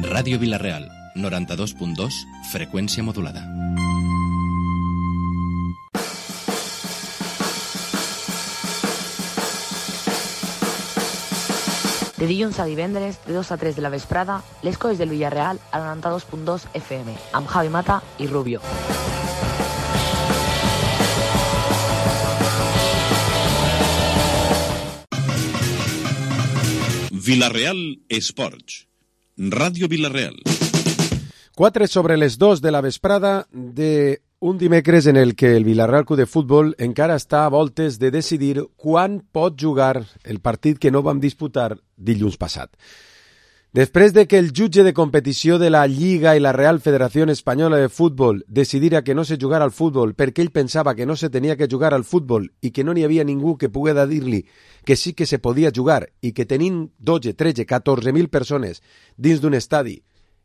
Ràdio Vila-real, 92.2, freqüència modulada. De dilluns a divendres, de 2 a 3 de la vesprada, les coses del Villarreal a 92.2 FM, amb Javi Mata i Rubio. Vila-real Esports. Ràdio Vila-real. 4 sobre les 2 de la vesprada de un dimecres en el que el Villarreal Club de Futbol encara està a voltes de decidir quan pot jugar el partit que no vam disputar dilluns passat. Després de que el jutge de competició de la Lliga i la Real Federació Espanyola de Futbol decidira que no se jugara al futbol perquè ell pensava que no se tenia que jugar al futbol i que no n'hi havia ningú que poguera dir-li que sí que se podia jugar i que tenint 12, 13, 14.000 persones dins d'un estadi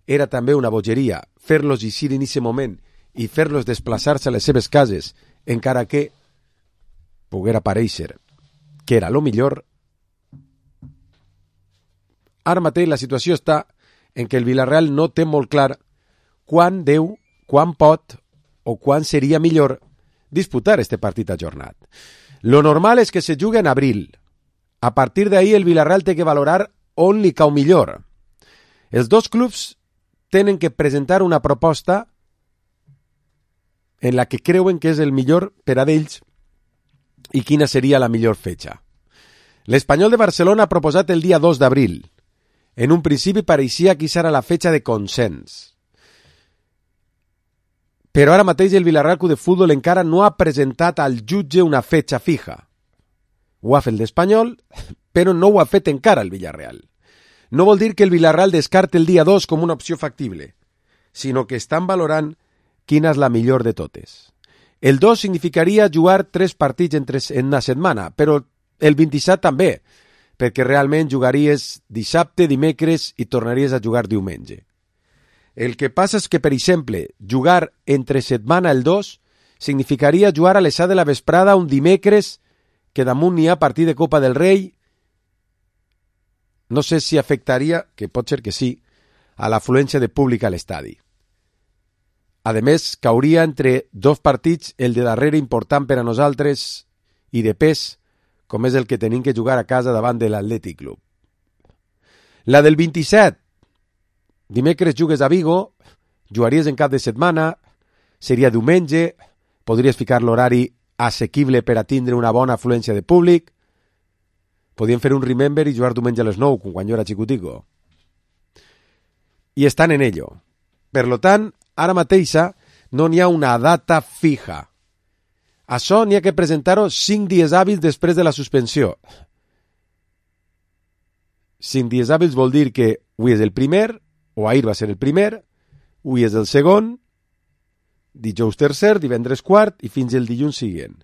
era també una bogeria fer-los eixir en aquest moment i fer-los desplaçar-se a les seves cases, encara que poguera aparèixer que era lo millor. Ara mateix la situació està en què el Villarreal no té molt clar quan deu, quan pot o quan seria millor disputar este partit ajornat. Lo normal és que se jugui en abril. A partir d'ahí el Villarreal té que valorar on li cau millor. Els dos clubs tenen que presentar una proposta en la que creuen que és el millor per a d'ells i quina seria la millor fetxa. L'Espanyol de Barcelona ha proposat el dia 2 d'abril. En un principi pareixia que serà la fetxa de consens. Però ara mateix el Villarreal Club de Futbol encara no ha presentat al jutge una fetxa fija. Ho ha fet l'Espanyol, però no ho ha fet encara el Villarreal. No vol dir que el Villarreal descarte el dia 2 com una opció factible, sinó que estan valorant quina és la millor de totes. El 2 significaria jugar 3 partits en una setmana, però el 27 també, perquè realment jugaries dissabte, dimecres i tornaries a jugar diumenge. El que passa és que, per exemple, jugar entre setmana el 2 significaria jugar a les 7 de la vesprada un dimecres que damunt n'hi ha partit de Copa del Rei. No sé si afectaria, que pot ser que sí, a l'afluència de públic a l'estadi. A més, cauria entre 2 partits el de darrere important per a nosaltres i de pes, com és el que tenim que jugar a casa davant de l'Atlètic Club. La del 27, dimecres jugues a Vigo, jugaries en cap de setmana, seria diumenge, podries ficar l'horari assequible per a tindre una bona afluència de públic, podien fer un remember i jugar diumenge a les 9, com quan jo era xicutico. I estan en ello. Per lo tant, ara mateixa no n'hi ha una data fija. Això n'hi ha que presentar-ho 5 dies hàbils després de la suspensió. 5 dies hàbils vol dir que avui és el primer, o ahir va ser el primer, avui és el segon, dijous tercer, divendres quart i fins el dilluns següent.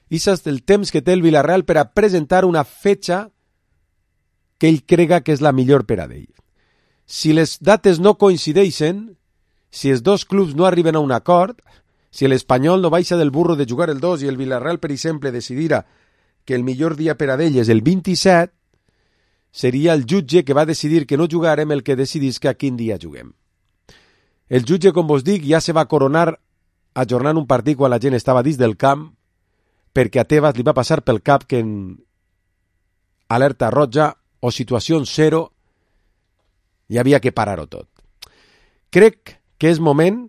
I és el temps que té el Villarreal per a presentar una fetxa que ell crega que és la millor per a d'ell. Si les dates no coincideixen, si els dos clubs no arriben a un acord, si l'Espanyol no baixa del burro de jugar el 2 i el Villarreal, per exemple, decidirà que el millor dia per a d'ell és el 27, seria el jutge que va decidir que no jugarem el que decidís que a quin dia juguem. El jutge, com vos dic, ja se va coronar ajornant un partit quan la gent estava dins del camp, perquè a Tebas li va passar pel cap que en alerta roja o situació 0 hi havia que parar-ho tot. Crec que és moment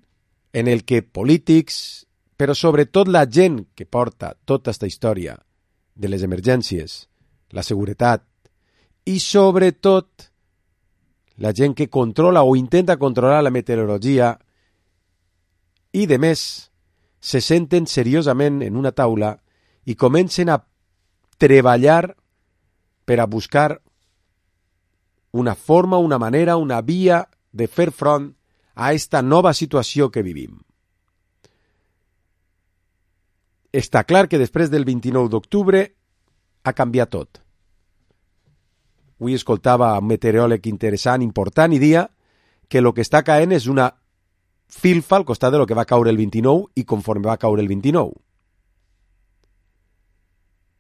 en el que polítics, però sobretot la gent que porta tota aquesta història de les emergències, la seguretat i sobretot la gent que controla o intenta controlar la meteorologia i de més se senten seriosament en una taula i comencen a treballar per a buscar una forma, una manera, una via de fer front a esta nova situació que vivim. Està clar que després del 29 d'octubre ha canviat tot. Avui escoltava un meteoròleg interessant, important, i dia que el que està caent és una filfa al costat de lo que va caure el 29 i conforme va caure el 29.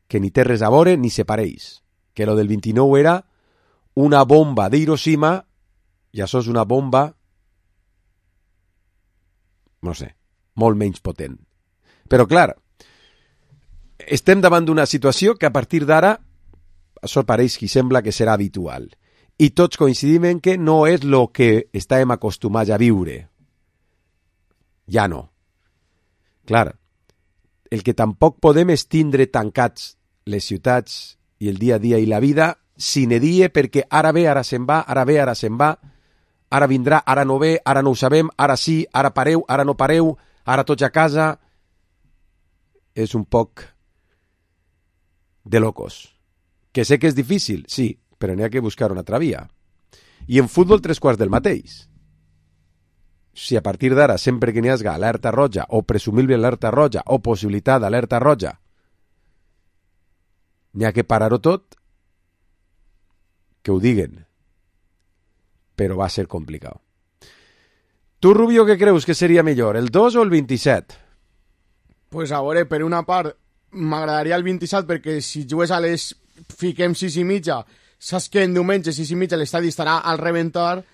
Que ni té res a veure ni se pareix. Que lo del 29 era una bomba d'Hiroshima i això és una bomba, no sé, molt menys potent. Però, clar, estem davant d'una situació que a partir d'ara, això pareix que sembla que serà habitual. I tots coincidim en que no és el que estàvem acostumats a viure. Ja no. Clar, el que tampoc podem és tindre tancats les ciutats i el dia a dia i la vida sine die perquè ara ve, ara se'n va, ara ve, ara se'n va, ara vindrà, ara no ve, ara no ho sabem, ara sí, ara pareu, ara no pareu, ara tots a casa. És un poc de locos. Que sé que és difícil, sí, però n'hi ha que buscar una altra via. I en futbol 3/4 del mateix. Si a partir d'ara, sempre que n'hi hagi alerta roja, o presumible alerta roja, o possibilitat d'alerta roja, n'hi ha que parar-ho tot, que ho diguen. Però va ser complicat. Tu, Rubio, què creus que seria millor, el 2 o el 27? Pues a veure, per una part, m'agradaria el 27 perquè si jugues a les... fiquem 6:30, saps que en diumenge 6:30 l'estadi estarà al reventar,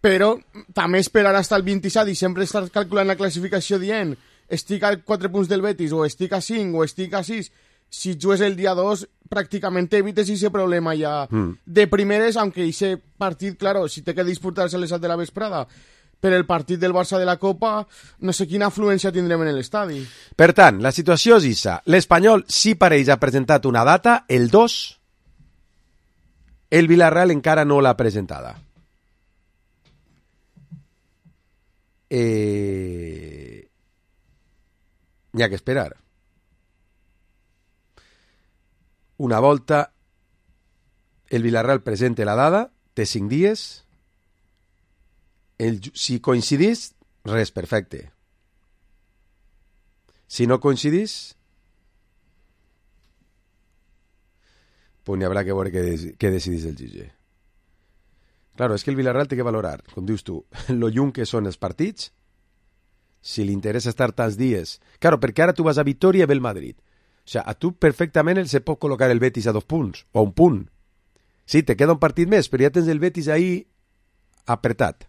però també esperar hasta el 27 i sempre estar calculant la classificació dient estic a 4 punts del Betis o estic a 5 o estic a 6. Si jugues el dia 2 pràcticament evites ese problema ja de primeres, aunque ese partit, claro, si té que disputar-se a les 7 de la vesprada, per el partit del Barça de la Copa, no sé quina afluència tindrem en l'estadi. Per tant, la situació és issa. L'Espanyol sí pareix ha presentat una data, el 2. El Villarreal encara no l'ha presentada. N'hi ha que esperar. Una volta el Villarreal presente la dada, té 5 dies. Si coincidís, res, perfecte. Si no coincidís, pues n'hi haurà que veure què decidís el jutge. Claro, és que el Villarreal té que valorar, com dius tu, lo lluny que són els partits, si li interessa estar tants dies. Claro, perquè ara tu vas a Vitoria i ve el Madrid. O sigui, a tu perfectament se pot col·locar el Betis a 2 punts, o a 1 punt. Sí, te queda un partit més, però ja tens el Betis ahí apretat.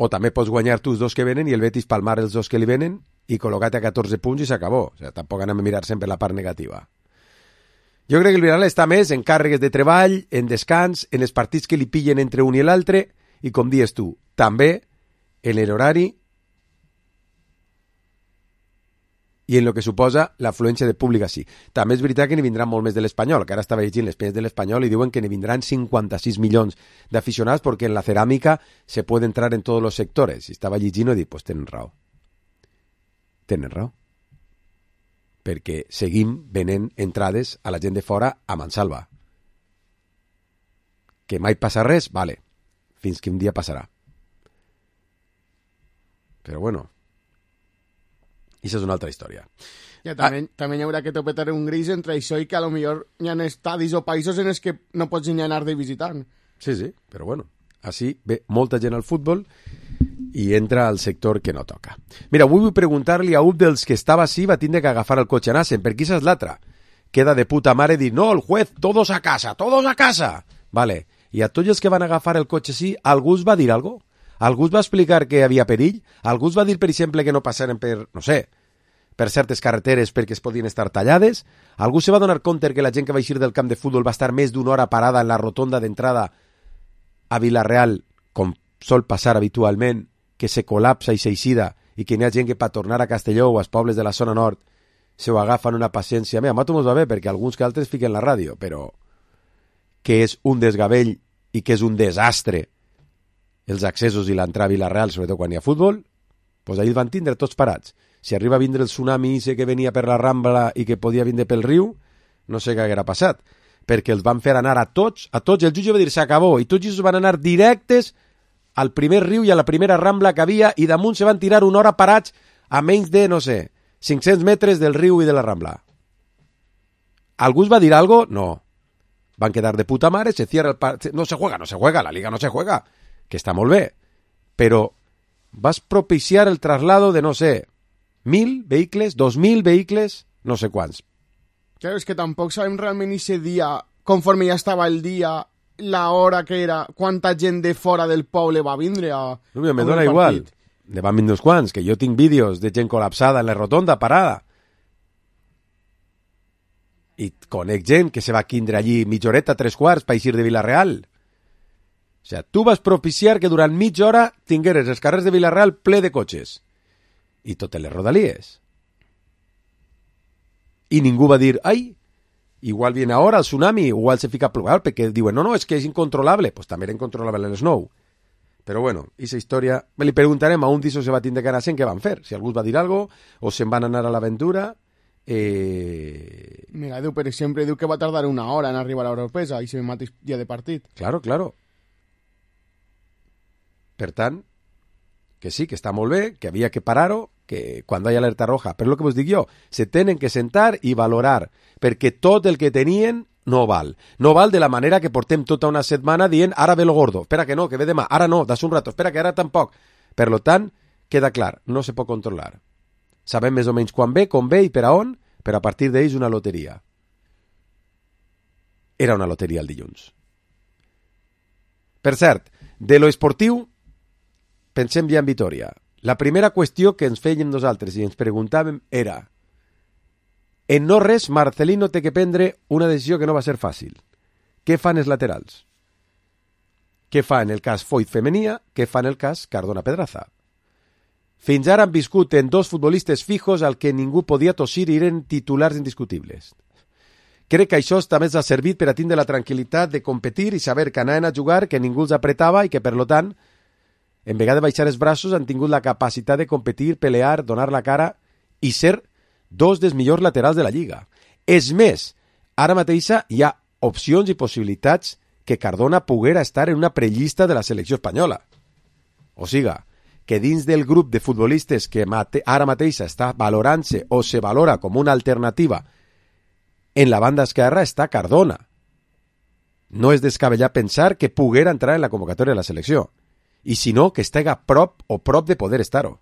O també pots guanyar tu els 2 que venen i el Betis palmar els 2 que li venen i col·locar-te a 14 punts i s'acabó. O sigui, tampoc anem a mirar sempre la part negativa. Jo crec que el Villarreal està més en càrregues de treball, en descans, en els partits que li pillen entre un i l'altre i, com dius tu, també en l'horari i en el que suposa l'afluència de públic així. També és veritat que n'hi vindran molt més de l'Espanyol, que ara estava llegint les penyes de l'Espanyol i diuen que n'hi vindran 56 milions d'aficionats perquè en la ceràmica se puede entrar en tots els sectors. I estava llegint i dic, pues tenen raó. Tenen raó. Perquè seguim venent entrades a la gent de fora a mansalva. Que mai passa res? Vale. Fins que un dia passarà. Però bueno, això és una altra història. Ja, també hi haurà que topetar un gris entre això i que a lo millor hi ha estadis o països en els que no pots ni anar de visitant. Sí, però bueno, així ve molta gent al futbol i entra al sector que no toca. Mira, avui vull preguntar-li a un dels que estava així va tindre que agafar el cotxe Nassen, perquè això és l'altra. Queda de puta mare dir, no, el juez, todos a casa, todos a casa. Vale, i a tots els que van agafar el cotxe sí, algú us va dir alguna cosa? Algú us va explicar que hi havia perill? Algú us va dir, per exemple, que no passaren per, no sé, per certes carreteres perquè es podien estar tallades? Algú se va donar compte que la gent que va eixir del camp de futbol va estar més d'una hora parada en la rotonda d'entrada a Vila-real, com sol passar habitualment, que se col·lapsa i s'eixida i que n'hi ha gent que per tornar a Castelló o als pobles de la zona nord se ho agafen una paciència. Mira, a nosaltres ens va bé perquè alguns que altres fiquen la ràdio, però que és un desgavell i que és un desastre els accessos i l'entrada a Vila-real, sobretot quan hi ha futbol, doncs ahir van tindre tots parats. Si arriba a vindre el tsunami que venia per la Rambla i que podia vindre pel riu, no sé què haguera passat, perquè els van fer anar a tots, el jutge va dir s'acabó, i tots ells van anar directes al primer riu i a la primera Rambla que havia, i damunt se van tirar una hora parats a menys de, no sé, 500 metres del riu i de la Rambla. ¿Algú us va dir algo? No. Van quedar de puta mare, se cierra el partido, no se juega, la liga no se juega, que està molt bé, però vas propiciar el traslado de, no sé, 1.000 vehicles, 2.000 vehicles, no sé quants. Claro, és que tampoc sabem realment ese dia, conforme ja estava el dia, la hora que era, quanta gent de fora del poble va vindre a... Rubio, me dona igual. Ne van vindre uns quants, que jo tinc vídeos de gent col·lapsada en la rotonda, parada. I conec gent que se va quindre allí mitja horeta, 3/4, per eixir de Vila-real. O sea, tu vas propiciar que durant mitja hora tingueres els carrers de Vila-real ple de cotxes. I totes les rodalies. I ningú va dir, ai, igual viene ahora el tsunami, igual se fica a plorar, perquè diuen, no, és que és incontrolable. Pues també era incontrolable el snow. Però bueno, aquesta història... Li preguntarem a un d'issos se va tindre que anar sent què van fer. Si algú va dir algo o se'n van anar a l'aventura... Mira, diu, per exemple, diu que va tardar una hora en arribar a Oropesa i se mateix dia de partit. Claro. Per tant, que sí, que està molt bé, que havia que parar-ho, que quan hi ha alerta roja, però el que vos dic jo, se tenen que sentar i valorar, perquè tot el que tenien no val. No val de la manera que portem tota una setmana dient ara ve lo gordo, espera que no, que ve demà, ara no, das un rato, espera que ara tampoc. Per lo tant, queda clar, no se pot controlar. Sabem més o menys quan ve, com ve i per a on, però a partir d'ells una loteria. Era una loteria el dilluns. Per cert, de lo esportiu, pensem ja en Vitòria. La primera qüestió que ens fèiem nosaltres i ens preguntàvem era en no res, Marcelino té que prendre una decisió que no va ser fàcil. Què fan els laterals? Què fa en el cas Foyt Femenia? Què fa en el cas Cardona Pedraza? Fins ara han viscut en dos futbolistes fijos al que ningú podia tossir i eren titulars indiscutibles. Crec que això també els ha servit per a tindre la tranquil·litat de competir i saber que anaven a jugar, que ningú els apretava i que, per lo tant, en vegada de baixar els braços, han tingut la capacitat de competir, pelear, donar la cara i ser dos dels millors laterals de la Lliga. És més, ara mateix hi ha opcions i possibilitats que Cardona poguera estar en una prellista de la selecció espanyola. O siga, que dins del grup de futbolistes que ara mateix està valorant-se o se valora com una alternativa en la banda esquerra està Cardona. No és descabellar pensar que poguera entrar en la convocatòria de la selecció. I si no, que estega prop de poder estar-ho.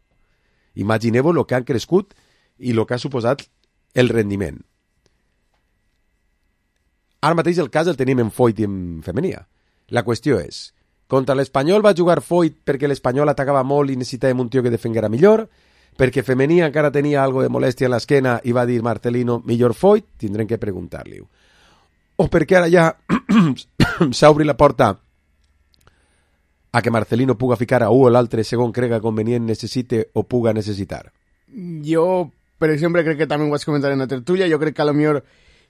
Imagineu-vos el que han crescut i el que ha suposat el rendiment. Ara mateix el cas el tenim en Foyt i en Femenia. La qüestió és, contra l'Espanyol va jugar Foyt perquè l'Espanyol atacava molt i necessitàvem un tio que defenguera millor, perquè Femenia encara tenia algo de molèstia en l'esquena i va dir Marcelino, millor Foyt, tindrem que preguntar-li-ho. O perquè ara ja s'obri la porta a que Marcelino puga ficar a un o l'altre segon crega convenient necessite o puga necessitar. Jo, per exemple, crec que també ho vaig comentar en la tertúlia, jo crec que a lo millor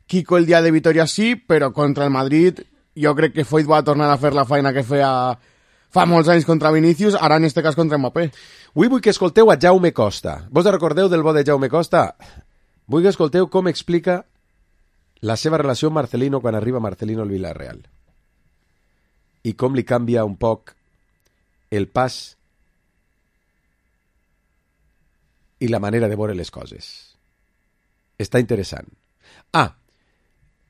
Kiko el dia de Vitòria sí, però contra el Madrid jo crec que Foyt va tornar a fer la feina que feia fa molts anys contra Vinícius, ara en este cas contra Mbappé. Avui vull que escolteu a Jaume Costa. Vos recordeu del bo de Jaume Costa? Vull que escolteu com explica la seva relació amb Marcelino quan arriba Marcelino al Villarreal. I com li canvia un poc el pas i la manera de veure les coses. Està interessant.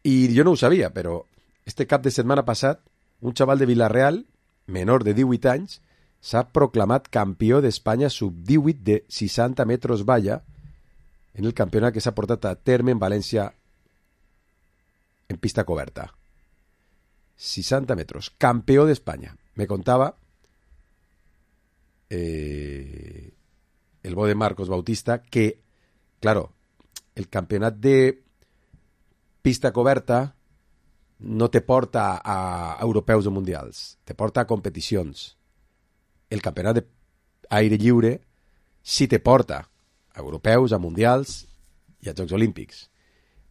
I jo no ho sabia, però este cap de setmana passat, un xaval de Villarreal, menor de 18 anys, s'ha proclamat campió d'Espanya sub-18 de 60 metres valla en el campionat que s'ha portat a terme en València en pista coberta. 60 metres. Campió d'Espanya. Me contava el bo de Marcos Bautista que, claro, el campionat de pista coberta no te porta a europeus o mundials, te porta a competicions. El campionat d'aire lliure sí te porta a europeus, a mundials i a Jocs Olímpics.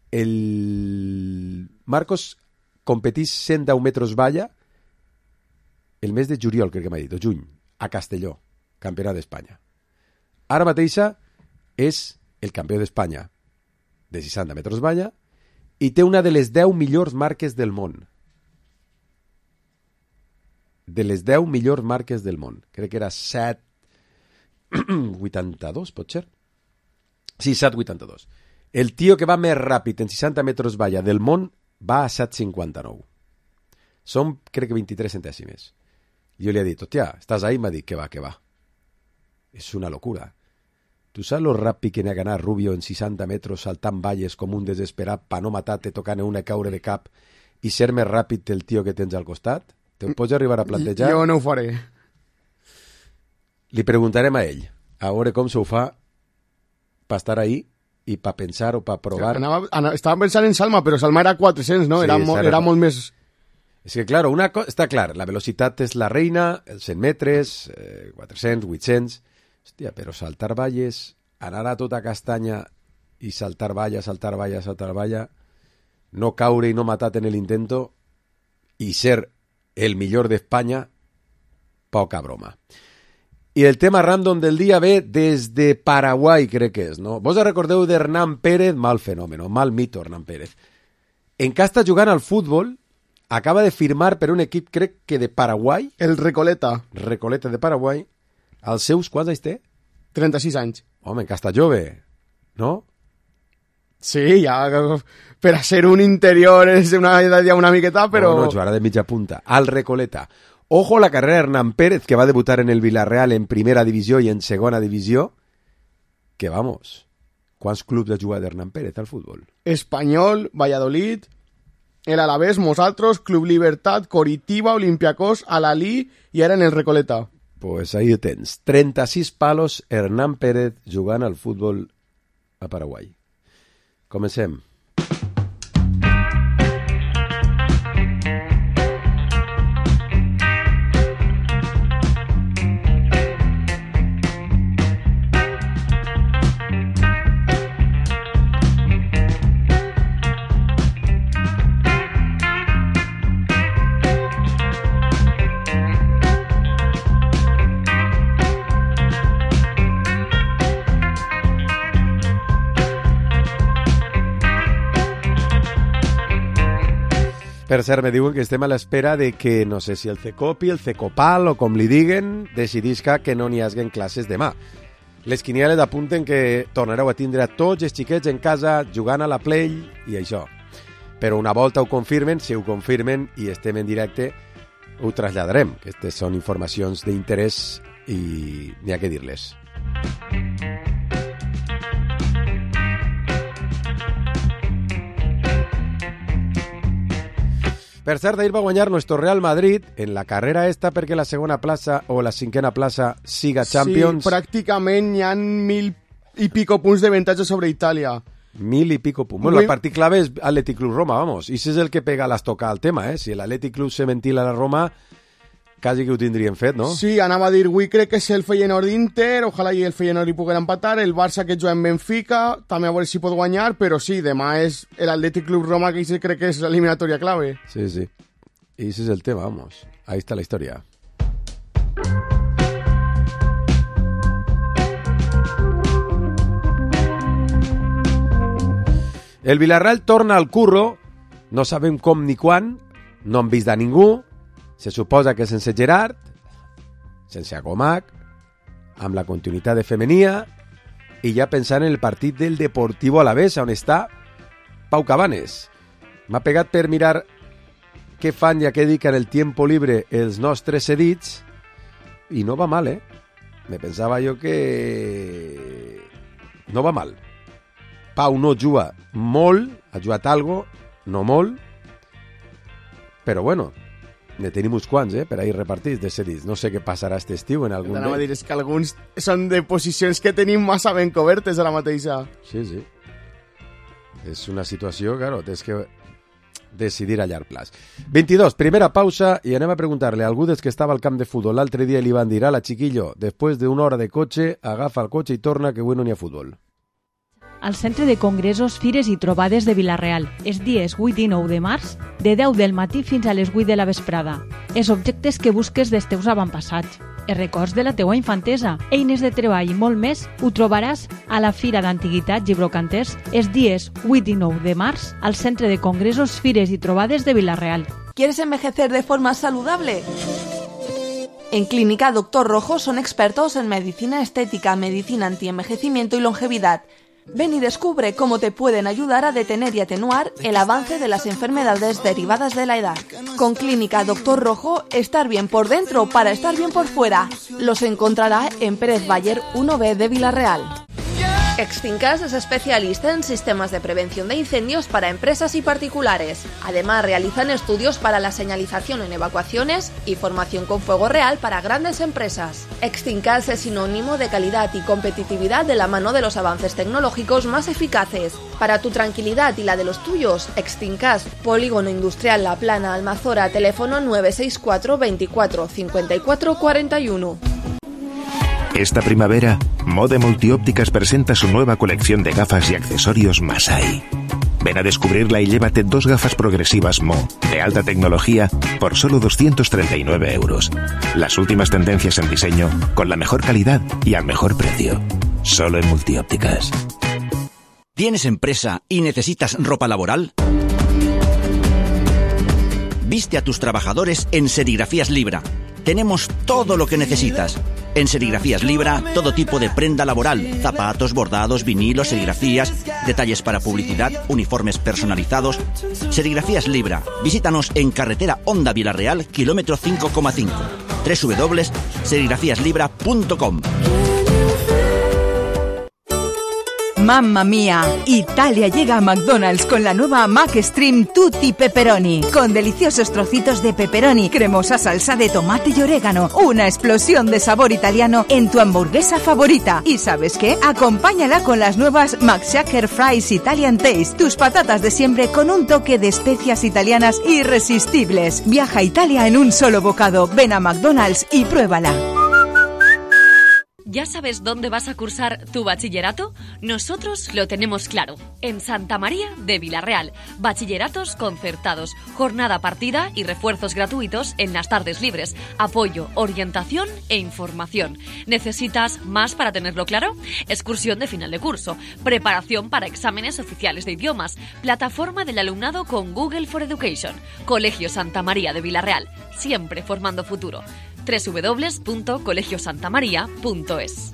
El Marcos competís 110 metres valla el mes de juliol, crec que m'ha dit, o juny, a Castelló, campionat d'Espanya. Ara mateixa és el campió d'Espanya de 60 metres valla i té una de les 10 millors marques del món. De les 10 millors marques del món. Crec que era 7.82, pot ser? Sí, 7.82. El tio que va més ràpid en 60 metres valla del món va a 7.59. Són, crec que 23 centèsimes. Jo li he dit, hòstia, estàs ahí? M'ha dit, que va. És una locura. Tu saps lo ràpid que n'ha que anar Rubio en 60 metres saltant valles com un desesperat pa no matar-te tocant una caure de cap i ser més ràpid que el tio que tens al costat? Te ho pots arribar a plantejar? Jo no ho faré. Li preguntarem a ell, a veure com s'ho fa per estar ahí i per pensar o per provar. Estava pensant en Salma, però Salma era 400, no? Sí, era molt més... És que, claro, una cosa està clar, la velocitat és la reina, els 100 metres, 400, 800... Hòstia, però saltar valles, anar a tota castanya i saltar valla, no caure i no matar en l'intento i ser el millor d'Espanya, poca broma. I el tema random del dia ve des de Paraguai, crec que és, no? Vos recordeu d'Hernán Pérez? Mal fenòmeno, mal mito, Hernán Pérez. En què està jugant al futbol, acaba de firmar per un equip, crec que de Paraguai. El Recoleta. Recoleta de Paraguai. Els seus, quants anys té? 36 anys. Home, que està jove, no? Sí, ja, per a ser un interior és una edat ja una miqueta, però... No, jugarà de mitja punta. Al Recoleta. Ojo la carrera de Hernán Pérez, que va debutar en el Villarreal en primera divisió i en segona divisió. Que vamos, quants clubs ha jugat Hernán Pérez al futbol? Espanyol, Valladolid, el Alavés, nosaltres, Club Libertad, Coritiba, Olympiacos, Al-Ahly i ara en el Recoleta. Pues ahí ho tens. 36 palos, Hernán Pérez jugant al futbol a Paraguai. Comencem. Per cert, me diuen que estem a l'espera de que, no sé si el Cecopi, el Cecopal o com li diguen, decidisca que no n'hi haguen classes demà. Les quinieles apunten que tornareu a tindre a tots els xiquets en casa jugant a la Play i això. Però una volta ho confirmen, si ho confirmen i estem en directe, ho traslladarem. Aquestes són informacions d'interès i n'hi ha que dir-les. Per cert, ahir va guanyar nuestro Real Madrid en la carrera esta perquè la segona plaça o la cinquena plaça siga Champions. Sí, pràcticament hi ha 1.000 i pico punts d'avantatge sobre Itàlia. 1.000 i pico punts. Bueno, el partit clave és Athletic Club Roma, vamos. I si és el que pega l'estocada al tema, Si l'Athletic Club se ventila a la Roma, quasi que ho tindrien fet, no? Sí, anava a dir, avui crec que és el Feyenoord d'Inter, ojalà i el Feyenoord hi poguera empatar, el Barça que juga en Benfica, també a veure si pot guanyar, però sí, demà és l'Athletic Club Roma, que crec que és l'eliminatòria clave. Sí, sí. I ese és el tema, vamos. Ahí está la història. El Villarreal torna al curro, no sabem com ni quan, no han vist a ningú, se suposa que sense Gerard, sense Agomac, amb la continuïtat de Femenia, i ja pensant en el partit del Deportivo Alavés, on està Pau Cabanes. M'ha pegat per mirar què fan i a què dediquen el tiempo libre els nostres cedits, i no va mal, Me pensava jo que no va mal. Pau no juga molt, ha jugat algo, no molt, però bueno, ne tenim uns quants, per ahir repartits de cedits. No sé què passarà aquest estiu en algun d'ells. Dir, és que alguns són de posicions que tenim massa ben cobertes a la mateixa. Sí, sí. És una situació, claro, tens que decidir a llarg plaç. 22, primera pausa i anem a preguntar-li a algú dels que estava al camp de futbol l'altre dia i li van dir, ala, chiquillo, després d'una hora de cotxe, agafa el cotxe i torna, que avui no n'hi ha futbol. Al Centre de Congressos, Fires i Trobades de Vila-real, els dies 8 i 9 de març, de 10 del matí fins a les 8 de la vesprada. Els objectes que busques dels teus avantpassats, els records de la teua infantesa, eines de treball i molt més, ho trobaràs a la Fira d'Antiguitats i Brocanters els dies 8 i 9 de març al Centre de Congressos, Fires i Trobades de Vila-real. ¿Quieres envejecer de forma saludable? En Clínica Dr. Rojo son expertos en medicina estética, medicina antienvejecimiento y longevidad. Ven y descubre cómo te pueden ayudar a detener y atenuar el avance de las enfermedades derivadas de la edad. Con Clínica Dr. Rojo, estar bien por dentro para estar bien por fuera. Los encontrará en Pérez Bayer 1B de Vila-real. Extincas es especialista en sistemas de prevención de incendios para empresas y particulares. Además, realizan estudios para la señalización en evacuaciones y formación con fuego real para grandes empresas. Extincas es sinónimo de calidad y competitividad de la mano de los avances tecnológicos más eficaces. Para tu tranquilidad y la de los tuyos, Extincas, Polígono Industrial La Plana, Almazora, teléfono 964 24 54 41. Esta primavera, Mode Multiópticas presenta su nueva colección de gafas y accesorios Masai. Ven a descubrirla y llévate 2 gafas progresivas Mo, de alta tecnología, por solo 239 euros. Las últimas tendencias en diseño, con la mejor calidad y al mejor precio. Solo en Multiópticas. ¿Tienes empresa y necesitas ropa laboral? Viste a tus trabajadores en Serigrafías Libra. Tenemos todo lo que necesitas. En Serigrafías Libra, todo tipo de prenda laboral, zapatos, bordados, vinilos, serigrafías, detalles para publicidad, uniformes personalizados. Serigrafías Libra. Visítanos en carretera Honda Vilarreal, kilómetro 5,5. www.serigrafiaslibra.com. ¡Mamma mía! Italia llega a McDonald's con la nueva McStream Tutti Pepperoni, con deliciosos trocitos de pepperoni, cremosa salsa de tomate y orégano, una explosión de sabor italiano en tu hamburguesa favorita. ¿Y sabes qué? Acompáñala con las nuevas McShaker Fries Italian Taste, tus patatas de siempre con un toque de especias italianas irresistibles. Viaja a Italia en un solo bocado. Ven a McDonald's y pruébala. ¿Ya sabes dónde vas a cursar tu bachillerato? Nosotros lo tenemos claro. En Santa María de Vilarreal. Bachilleratos concertados, jornada partida y refuerzos gratuitos en las tardes libres. Apoyo, orientación e información. ¿Necesitas más para tenerlo claro? Excursión de final de curso, preparación para exámenes oficiales de idiomas, plataforma del alumnado con Google for Education. Colegio Santa María de Vilarreal, siempre formando futuro. www.colegiosantamaria.es.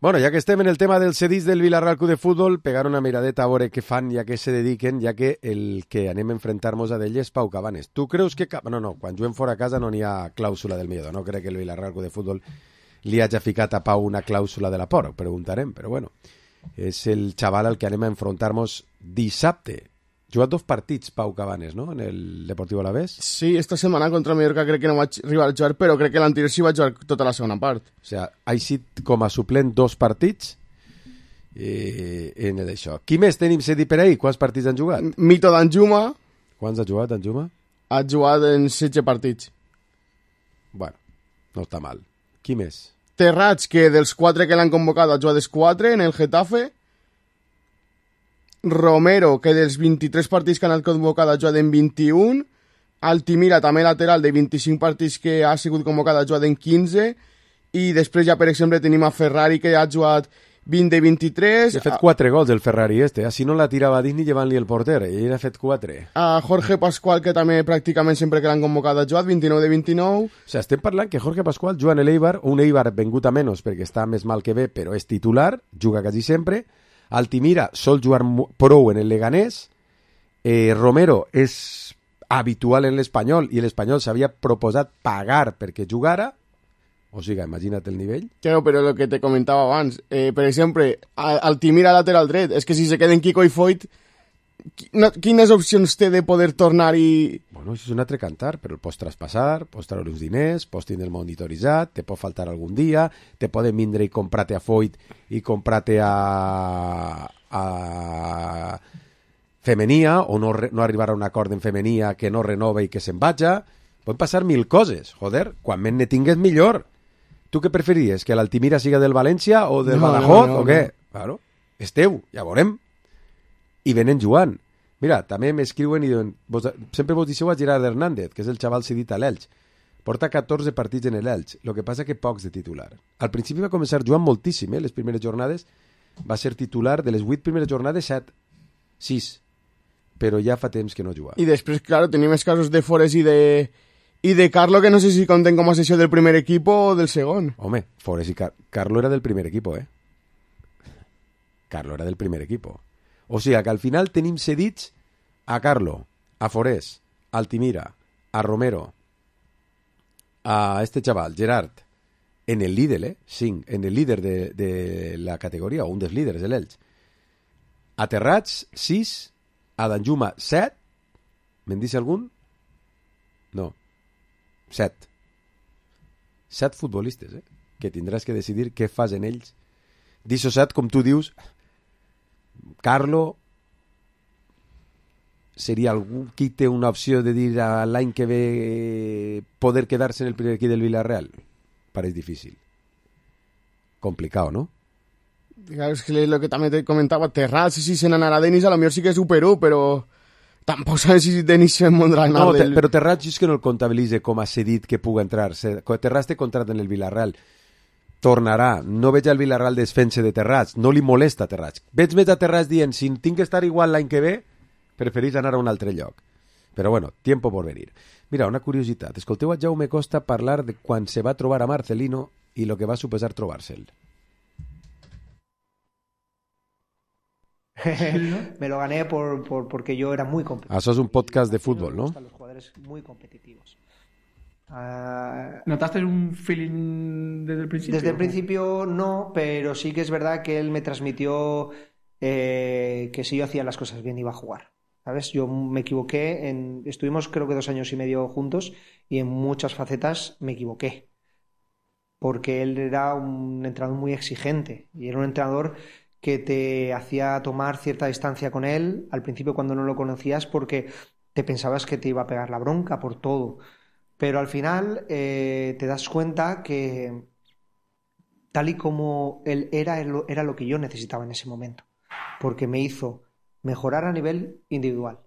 Bueno, ja que estem en el tema del cedís del Vilarreal Club de Futbol, pegar una miradeta a veure què fan i a què se dediquen, ja que el que anem a enfrentar-nos a d'ell és Pau Cabanes. Tu creus que... No, quan juguem fora a casa no n'hi ha clàusula del miedo. No crec que el Vilarreal Club de Futbol li hagi ficat a Pau una clàusula de la por, ho preguntarem, però bueno, és el xaval al que anem a enfrontar-nos dissabte. Jugat 2 partits, Pau Cabanes, no?, en el Deportivo Alavés. Sí, esta setmana contra Mallorca crec que no vaig arribar a jugar, però crec que l'anterior sí vaig jugar tota la segona part. O sigui, ha estat com a suplent 2 partits en això. Qui més tenim cedit per ahir? Quants partits han jugat? Mito d'Anjuma. Quants ha jugat, Anjuma? Ha jugat en 16 partits. Bueno, no està mal. Qui més? Terrats, que dels 4 que l'han convocat ha jugat els 4 en el Getafe. Romero, que dels 23 partits que han convocat ha jugat en 21. Altimira, també lateral, de 25 partits que ha sigut convocat ha jugat en 15. I després ja, per exemple, tenim a Ferrari, que ha jugat 20 de 23. Ha fet 4 gols el Ferrari este. Si no la tirava dins ni llevant-li el porter. Ell ha fet 4. A Jorge Pascual, que també pràcticament sempre que l'han convocat ha jugat 29 de 29. O sigui, estem parlant que Jorge Pascual juga en l'Eibar, un Eibar vengut a menys perquè està més mal que bé, però és titular, juga quasi sempre. Altimira sol jugar prou en el Leganés. Romero és habitual en l'Espanyol i l'Espanyol s'havia proposat pagar perquè jugara. O sigui, imagina't el nivell. Claro, però el que te comentava abans, per exemple, Altimira lateral dret, és que si se queden Kiko i Foyt, quines opcions té de poder tornar i... Bueno, això és un altre cantar, però el pots traspassar, pots treure uns diners, pots tindre el monitoritzat, te pot faltar algun dia, te poden vindre i comprar-te a Foyt i comprar-te a Femenia, o no arribar a un acord en Femenia que no renova i que se'n vaja. Poden passar 1000 coses. Joder, quan menys ne tingues millor. Tu què preferiries? Que l'Altimira siga del València o del Badajoz o què? Claro, és teu, ja veurem. I venen jugant. Mira, també m'escriuen i diuen, sempre vos deixeu a Gerard Hernández, que és el xaval cedit a l'Elx. Porta 14 partits en l'Elx, el que passa que pocs de titular. Al principi va començar jugant moltíssim, les primeres jornades. Va ser titular de les 8 primeres jornades, 6. Però ja fa temps que no juga. I després, claro, tenim els casos de Forés i de Carlo, que no sé si compten com a sessió del primer equip o del segon. Home, Forés i Carlo era del primer equip, Carlo era del primer equip. O sigui que al final tenim cedits a Carlo, a Forés, a Altimira, a Romero, a este chaval, Gerard, en el líder, 5, en el líder de la categoria, o un dels líders de l'Elx. Aterrats, 6, a Danjuma, 7, me'n dice algun? No. 7. 7 futbolistes, que tindràs que decidir què fas en ells. D'ixo 7, com tu dius, Carlo seria algú qui té una opció de dir l'any que ve poder quedar-se en el primer equip del Villarreal. Pareix difícil. Complicado, ¿no? Claro, es que lo que también te comentaba, Terrats, si se n'anarà Denis, a lo mejor sí que superó, pero tampoc sabes si Denis se mondrà no, però Terrats és que no el comptabilitze com a cedit que puga entrar. Terrats té contracte en el Villarreal. Tornarà. No veig al Villarreal desfense de Terrats. No li molesta Terrats. Veig més a Terrats dient, si tinc que estar igual l'any que ve, preferís anar a un altre lloc. Però bueno, tiempo por venir. Mira, una curiositat. Escolteu a Jaume Costa parlar de quan se va trobar a Marcelino i lo que va suposar trobar-se'l. Me lo gané porque yo era muy competitivo. Això és un podcast de fútbol, ¿no? Los jugadores muy competitivos. ¿Notaste un feeling desde el principio? Desde el principio no, pero sí que es verdad que él me transmitió que si yo hacía las cosas bien iba a jugar. ¿Sabes? Yo me equivoqué, estuvimos creo que 2 años y medio juntos y en muchas facetas me equivoqué. Porque él era un entrenador muy exigente y era un entrenador que te hacía tomar cierta distancia con él al principio cuando no lo conocías porque te pensabas que te iba a pegar la bronca por todo. Pero al final te das cuenta que tal y como él era lo que yo necesitaba en ese momento. Porque me hizo mejorar a nivel individual,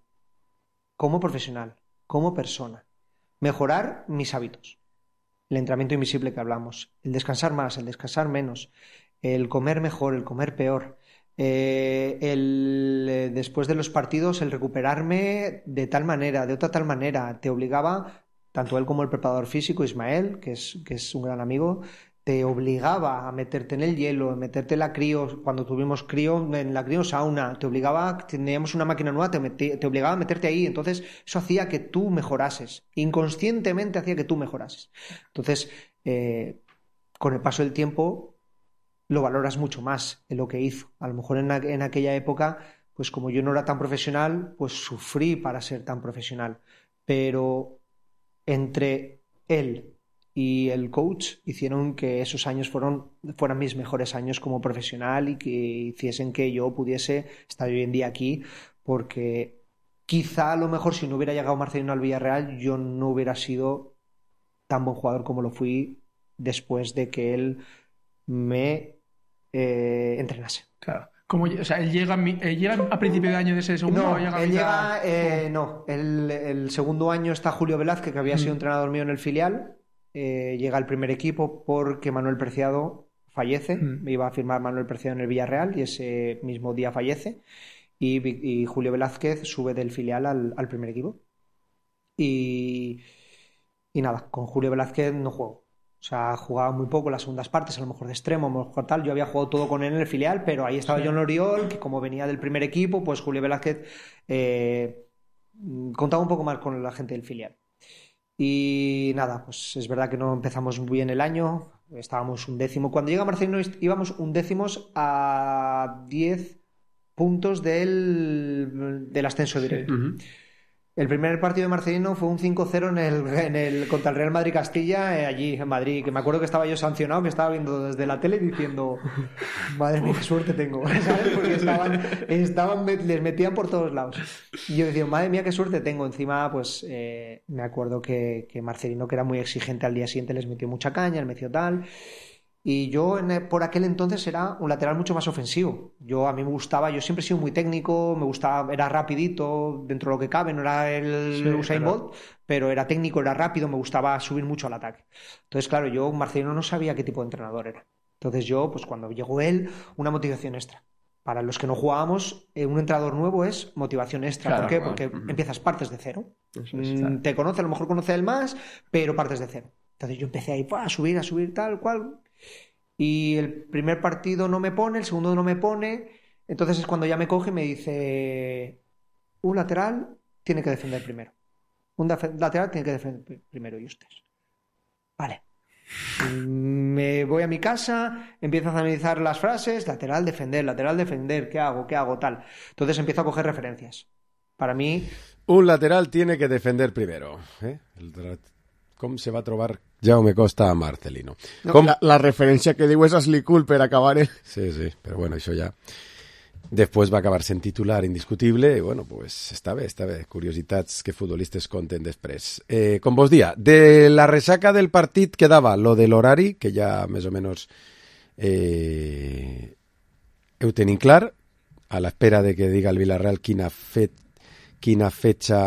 como profesional, como persona. Mejorar mis hábitos. El entrenamiento invisible que hablamos. El descansar más, el descansar menos. El comer mejor, el comer peor. Después de los partidos, el recuperarme de tal manera, de otra tal manera. Te obligaba, tanto él como el preparador físico, Ismael, que es un gran amigo, te obligaba a meterte en el hielo, a meterte en la crío, cuando tuvimos crío, en la crío sauna, te obligaba, teníamos una máquina nueva, te obligaba a meterte ahí, entonces eso hacía que tú mejorases, inconscientemente hacía que tú mejorases. Entonces, con el paso del tiempo, lo valoras mucho más en lo que hizo. A lo mejor en aquella época, pues como yo no era tan profesional, pues sufrí para ser tan profesional, pero entre él y el coach hicieron que esos años fueran mis mejores años como profesional y que hiciesen que yo pudiese estar hoy en día aquí, porque quizá a lo mejor si no hubiera llegado Marcelino al Villarreal yo no hubiera sido tan buen jugador como lo fui después de que él me entrenase. Claro. O sea, él llega a principio de año de ese segundo. No, ¿o llega él llega, el segundo año está Julio Velázquez, que había sido entrenador mío en el filial. Llega al primer equipo porque Manuel Preciado fallece. Iba a firmar Manuel Preciado en el Villarreal y ese mismo día fallece. Y Julio Velázquez sube del filial al primer equipo. Y nada, con Julio Velázquez no juego. O sea, jugaba muy poco las segundas partes, a lo mejor de extremo, a lo mejor tal. Yo había jugado todo con él en el filial, pero ahí estaba John Oriol, que como venía del primer equipo, pues Julio Velázquez contaba un poco más con la gente del filial. Y nada, pues es verdad que no empezamos muy bien el año, estábamos 11º. Cuando llega Marcelino íbamos 11º a 10 puntos del ascenso directo. El primer partido de Marcelino fue un 5-0 contra el Real Madrid Castilla, allí en Madrid, que me acuerdo que estaba yo sancionado, que estaba viendo desde la tele diciendo, madre mía, qué suerte tengo, ¿sabes? Porque les metían por todos lados. Y yo decía, madre mía, qué suerte tengo. Encima, pues me acuerdo que Marcelino, que era muy exigente, al día siguiente les metió mucha caña, les metió tal. Y yo por aquel entonces era un lateral mucho más ofensivo. A mí me gustaba, yo siempre he sido muy técnico, me gustaba, era rapidito dentro de lo que cabe, no era el Usain Bolt, pero era técnico, era rápido, me gustaba subir mucho al ataque. Entonces, claro, yo Marcelino no sabía qué tipo de entrenador era. Entonces yo, pues cuando llegó él, una motivación extra. Para los que no jugábamos, un entrenador nuevo es motivación extra. Claro, ¿por qué? Porque empiezas partes de cero. Te conoce, a lo mejor conoce él más, pero partes de cero. Entonces yo empecé ahí a subir, tal cual. Y el primer partido no me pone, el segundo no me pone. Entonces es cuando ya me coge y me dice, un lateral tiene que defender primero. Un lateral tiene que defender primero y ustedes. Vale. Me voy a mi casa, empiezo a analizar las frases, lateral, defender, ¿qué hago, tal. Entonces empiezo a coger referencias. Para mí... Un lateral tiene que defender primero. Com se va a trobar Jaume Costa a Marcelino. No, la referència que diu és Ashley Cole per acabar. Sí, però bueno, això ja... Després va acabar sent titular indiscutible i bueno, pues està bé. Curiositats que futbolistes conten després. Com vos dia, de la ressaca del partit quedava lo de l'horari, que ja més o menys ho tenim clar, a l'espera de que diga el Villarreal quina fetxa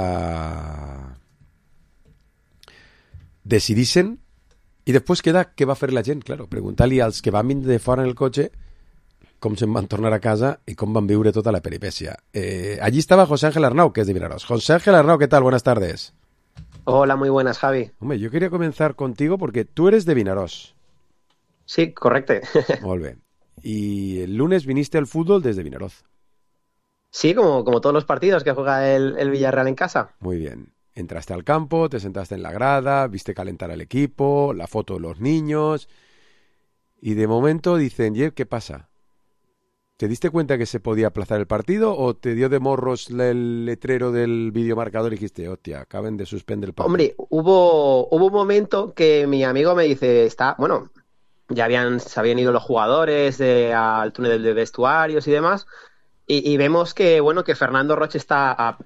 decidissin, i després queda què va fer la gent, claro, preguntar-li als que van vindre de fora en el cotxe com se'n van tornar a casa y cómo van viure tota la peripècia. Allí estaba José Ángel Arnau, que es de Vinaròs. José Ángel Arnau, ¿qué tal? Buenas tardes. Hola, muy buenas, Javi. Hombre, yo quería comenzar contigo porque tú eres de Vinaròs. Sí, correcto. Molt bé. Y el lunes viniste al fútbol desde Vinaròs. Sí, como todos los partidos que juega el Villarreal en casa. Muy bien. Entraste al campo, te sentaste en la grada, viste calentar al equipo, la foto de los niños, y de momento dicen, ¿qué pasa? ¿Te diste cuenta que se podía aplazar el partido o te dio de morros el letrero del videomarcador y dijiste, hostia, acaben de suspender el partido? Hombre, hubo un momento que mi amigo me dice, ya se habían ido los jugadores al túnel de vestuarios y demás, y vemos que Fernando Roche está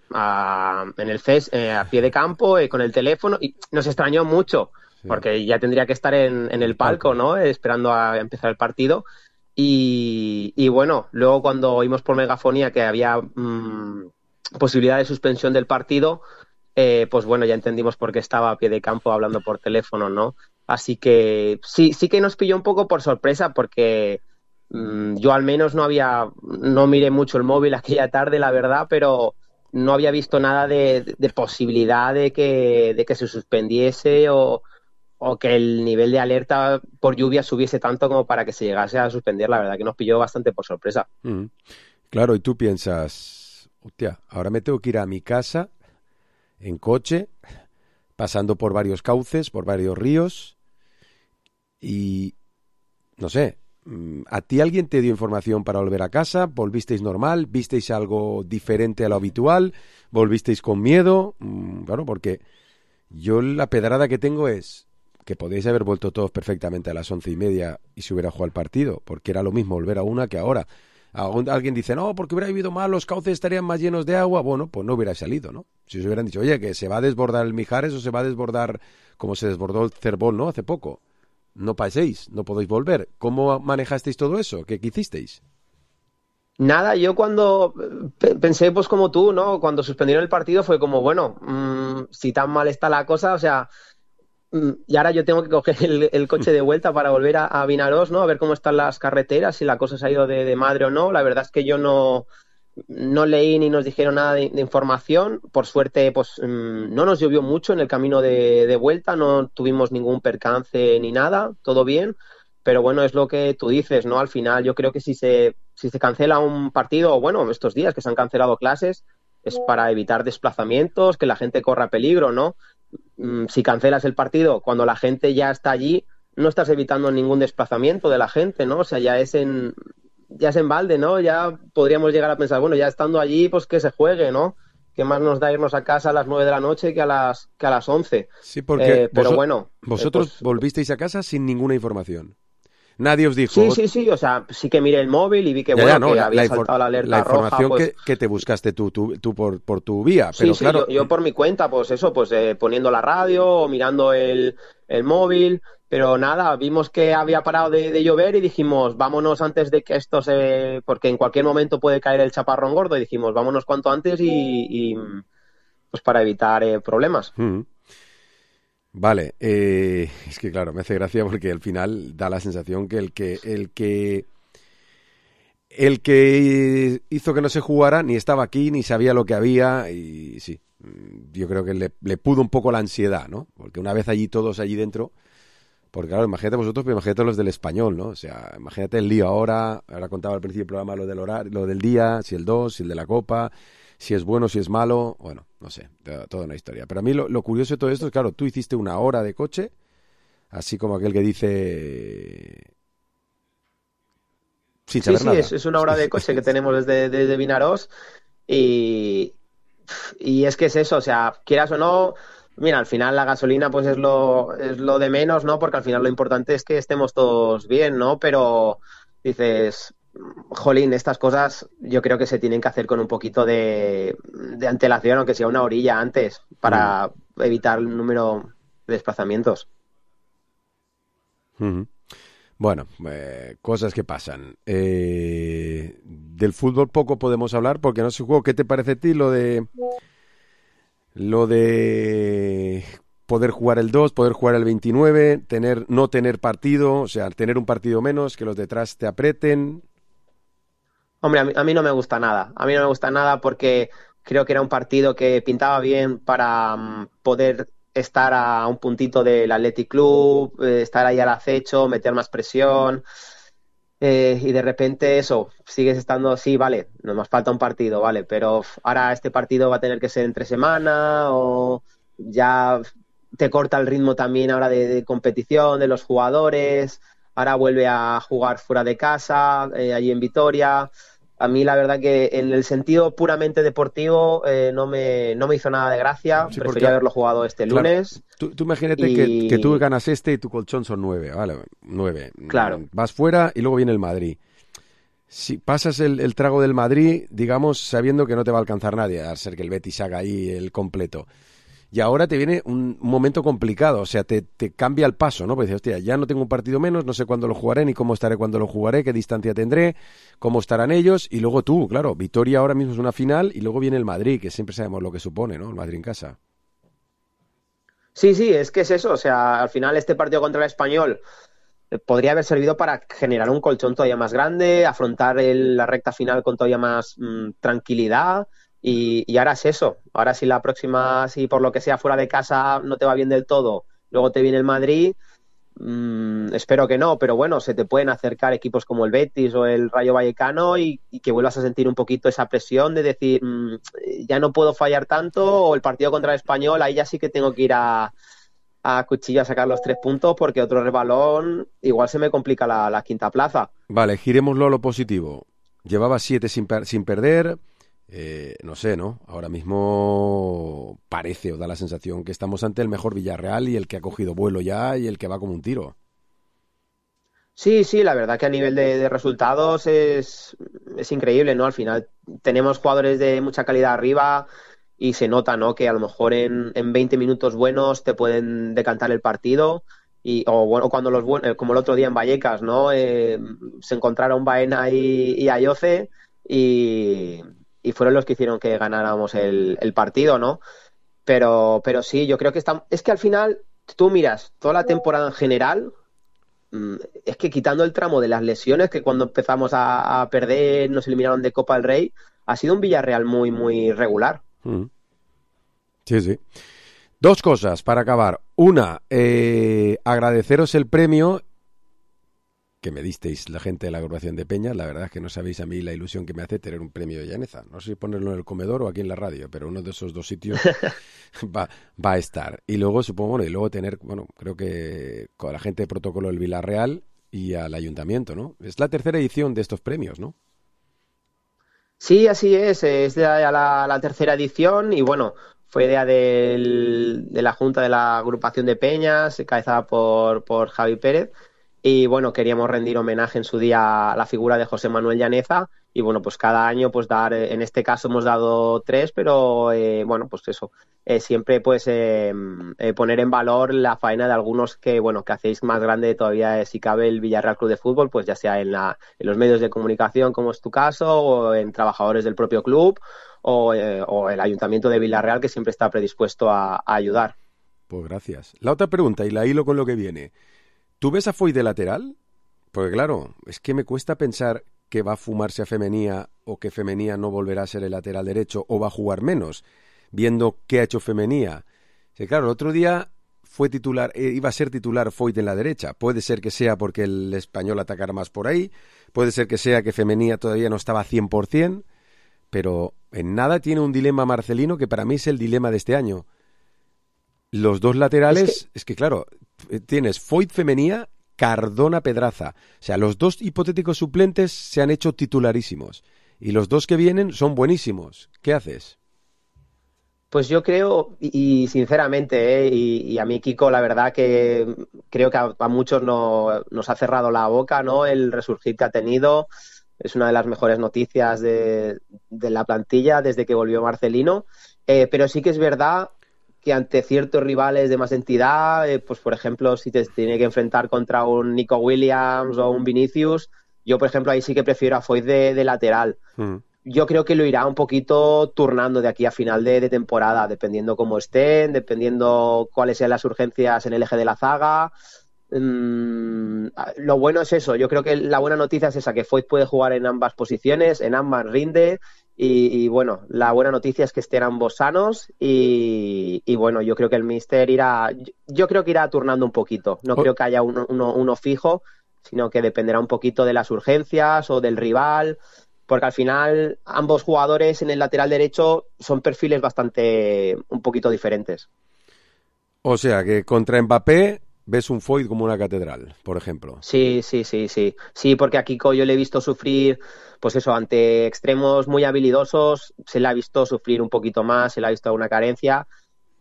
en el CES a pie de campo con el teléfono, y nos extrañó mucho, porque ya tendría que estar en el palco, ¿no? Esperando a empezar el partido. Y bueno, luego cuando oímos por megafonía que había posibilidad de suspensión del partido, pues bueno, ya entendimos por qué estaba a pie de campo hablando por teléfono, ¿no? Así que sí que nos pilló un poco por sorpresa, porque yo al menos no miré mucho el móvil aquella tarde, la verdad, pero no había visto nada de posibilidad de que se suspendiese o que el nivel de alerta por lluvia subiese tanto como para que se llegase a suspender. La verdad que nos pilló bastante por sorpresa. Claro, y tú piensas, hostia, ahora me tengo que ir a mi casa en coche, pasando por varios cauces, por varios ríos, y no sé, ¿a ti alguien te dio información para volver a casa? ¿Volvisteis normal? ¿Visteis algo diferente a lo habitual? ¿Volvisteis con miedo? Bueno, porque yo la pedrada que tengo es que podéis haber vuelto todos perfectamente a las 11:30 y se hubiera jugado el partido, porque era lo mismo volver a una que ahora. Alguien dice, no, porque hubiera vivido mal, los cauces estarían más llenos de agua. Bueno, pues no hubiera salido, ¿no? Si os hubieran dicho, oye, que se va a desbordar el Mijares o se va a desbordar como se desbordó el Cervón, ¿no? Hace poco. No paséis, no podéis volver. ¿Cómo manejasteis todo eso? ¿Qué hicisteis? Nada, yo cuando pensé pues como tú, ¿no? Cuando suspendieron el partido fue como, bueno, si tan mal está la cosa, o sea... Y ahora yo tengo que coger el coche de vuelta para volver a Vinaròs, ¿no? A ver cómo están las carreteras, si la cosa se ha ido de madre o no. La verdad es que yo no leí ni nos dijeron nada de información. Por suerte, pues no nos llovió mucho en el camino de vuelta, no tuvimos ningún percance ni nada, todo bien. Pero bueno, es lo que tú dices, ¿no? Al final yo creo que si se cancela un partido, o bueno, estos días que se han cancelado clases, es para evitar desplazamientos, que la gente corra peligro, ¿no? Si cancelas el partido cuando la gente ya está allí, no estás evitando ningún desplazamiento de la gente, ¿no? O sea, ya es en balde, ¿no? Ya podríamos llegar a pensar, bueno, ya estando allí, pues que se juegue, ¿no? ¿Qué más nos da irnos a casa a las 9 de la noche que a las 11? Sí, porque bueno, vosotros volvisteis a casa sin ninguna información. Nadie os dijo... Sí, o sea, sí que miré el móvil y vi que, que había saltado la alerta roja. La información pues... que te buscaste tú por tu vía, pero sí, claro... yo por mi cuenta, pues eso, pues poniendo la radio o mirando el móvil, pero nada, vimos que había parado de llover y dijimos, vámonos antes de que esto porque en cualquier momento puede caer el chaparrón gordo, y dijimos, vámonos cuanto antes y pues para evitar problemas. Vale, es que claro, me hace gracia porque al final da la sensación que el que hizo que no se jugara ni estaba aquí ni sabía lo que había, y sí, yo creo que le pudo un poco la ansiedad, ¿no? Porque una vez todos allí dentro, porque claro, imagínate vosotros, pero imagínate los del Español, ¿no? O sea, imagínate el lío ahora contaba al principio del programa lo del horario, lo del día, si el 2, si el de la Copa, si es bueno, si es malo, bueno, no sé, toda una historia. Pero a mí lo curioso de todo esto es, claro, tú hiciste una hora de coche así como aquel que dice... Sin saber nada. Es una hora de coche que tenemos desde Vinaròs y es que es eso, o sea, quieras o no, mira, al final la gasolina pues es lo de menos, ¿no? Porque al final lo importante es que estemos todos bien, ¿no? Pero dices, jolín, estas cosas yo creo que se tienen que hacer con un poquito de antelación, aunque sea una horilla antes, para evitar el número de desplazamientos. Uh-huh. Bueno, cosas que pasan. Del fútbol poco podemos hablar porque no se jugó. ¿Qué te parece a ti lo de poder jugar el 2, poder jugar el 29, no tener partido, o sea, tener un partido menos, que los detrás te aprieten? Hombre, a mí no me gusta nada. A mí no me gusta nada porque creo que era un partido que pintaba bien para poder estar a un puntito del Athletic Club, estar ahí al acecho, meter más presión, y de repente eso, sigues estando así, vale, nos falta un partido, vale, pero ahora este partido va a tener que ser entre semana o ya te corta el ritmo también ahora de competición de los jugadores, ahora vuelve a jugar fuera de casa, allí en Vitoria. A mí la verdad que en el sentido puramente deportivo no me hizo nada de gracia, sí, prefería haberlo jugado este lunes. Tú imagínate que tú ganas y tu colchón son 9, ¿vale? 9. Claro. Vas fuera y luego viene el Madrid. Si pasas el trago del Madrid, digamos, sabiendo que no te va a alcanzar nadie, a ser que el Betis haga ahí el completo. Y ahora te viene un momento complicado, o sea, te cambia el paso, ¿no? Porque dices, hostia, ya no tengo un partido menos, no sé cuándo lo jugaré, ni cómo estaré cuando lo jugaré, qué distancia tendré, cómo estarán ellos, y luego tú, claro, Vitoria ahora mismo es una final, y luego viene el Madrid, que siempre sabemos lo que supone, ¿no? El Madrid en casa. Sí, es que es eso, o sea, al final este partido contra el Español podría haber servido para generar un colchón todavía más grande, afrontar la recta final con todavía más tranquilidad. Y ahora es eso, ahora si la próxima, si por lo que sea fuera de casa no te va bien del todo, luego te viene el Madrid, espero que no, pero bueno, se te pueden acercar equipos como el Betis o el Rayo Vallecano y que vuelvas a sentir un poquito esa presión de decir, ya no puedo fallar tanto, o el partido contra el Español, ahí ya sí que tengo que ir a cuchillo a sacar los 3 puntos porque otro rebalón igual se me complica la quinta plaza. Vale, girémoslo a lo positivo. Llevaba 7 sin perder... no sé, ¿no? Ahora mismo parece o da la sensación que estamos ante el mejor Villarreal y el que ha cogido vuelo ya y el que va como un tiro. Sí, la verdad que a nivel de resultados es increíble, ¿no? Al final tenemos jugadores de mucha calidad arriba y se nota, ¿no? Que a lo mejor en 20 minutos buenos te pueden decantar el partido o bueno, cuando como el otro día en Vallecas, ¿no? Se encontraron Baena y Ayoce y fueron los que hicieron que ganáramos el partido, ¿no? Pero sí, yo creo que es que al final, tú miras toda la temporada en general, es que quitando el tramo de las lesiones, que cuando empezamos a perder, nos eliminaron de Copa del Rey, ha sido un Villarreal muy, muy regular. Sí. 2 cosas para acabar. Una, agradeceros el premio que me disteis la gente de la agrupación de Peñas. La verdad es que no sabéis a mí la ilusión que me hace tener un premio de Llaneza. No sé si ponerlo en el comedor o aquí en la radio, pero uno de esos 2 sitios va a estar. Y luego supongo, y luego tener, creo que con la gente de protocolo del Villarreal y al ayuntamiento, ¿no? Es la 3ª edición de estos premios, ¿no? Sí, así es ya la 3ª edición y bueno, fue idea de la Junta de la agrupación de Peñas, encabezada por Javi Pérez. Y bueno, queríamos rendir homenaje en su día a la figura de José Manuel Llaneza y bueno, pues cada año pues dar, en este caso hemos dado 3, pero bueno, pues eso, siempre pues poner en valor la faena de algunos que hacéis más grande todavía si cabe el Villarreal Club de Fútbol, pues ya sea en los medios de comunicación como es tu caso o en trabajadores del propio club o el Ayuntamiento de Villarreal que siempre está predispuesto a ayudar. Pues gracias. La otra pregunta y la hilo con lo que viene. ¿Tú ves a Foy de lateral? Porque claro, es que me cuesta pensar que va a fumarse a Femenía o que Femenía no volverá a ser el lateral derecho o va a jugar menos, viendo qué ha hecho Femenía. Sí, claro, el otro día fue titular, iba a ser titular Foy en la derecha. Puede ser que sea porque el Español atacara más por ahí, puede ser que sea que Femenía todavía no estaba 100%, pero en nada tiene un dilema Marcelino que para mí es el dilema de este año. Los 2 laterales, es que claro, tienes Foyt Femenía, Cardona Pedraza. O sea, los dos hipotéticos suplentes se han hecho titularísimos. Y los dos que vienen son buenísimos. ¿Qué haces? Pues yo creo, y sinceramente, y a mí Kiko, la verdad que creo que a muchos nos ha cerrado la boca, ¿no? El resurgir que ha tenido. Es una de las mejores noticias de la plantilla desde que volvió Marcelino. Pero sí que es verdad que ante ciertos rivales de más entidad, pues por ejemplo, si te tiene que enfrentar contra un Nico Williams o un Vinicius, yo por ejemplo ahí sí que prefiero a Foyt de lateral. Yo creo que lo irá un poquito turnando de aquí a final de temporada, dependiendo cómo estén, dependiendo cuáles sean las urgencias en el eje de la zaga. Lo bueno es eso, yo creo que la buena noticia es esa, que Foyt puede jugar en ambas posiciones, en ambas rinde, y bueno, la buena noticia es que estén ambos sanos, y bueno, yo creo que el míster irá turnando un poquito, no creo que haya uno fijo, sino que dependerá un poquito de las urgencias o del rival, porque al final ambos jugadores en el lateral derecho son perfiles un poquito diferentes. O sea, que contra Mbappé ves un Foyt como una catedral, por ejemplo. Sí, porque a Kiko yo le he visto sufrir, pues eso, ante extremos muy habilidosos, se le ha visto sufrir un poquito más, se le ha visto una carencia,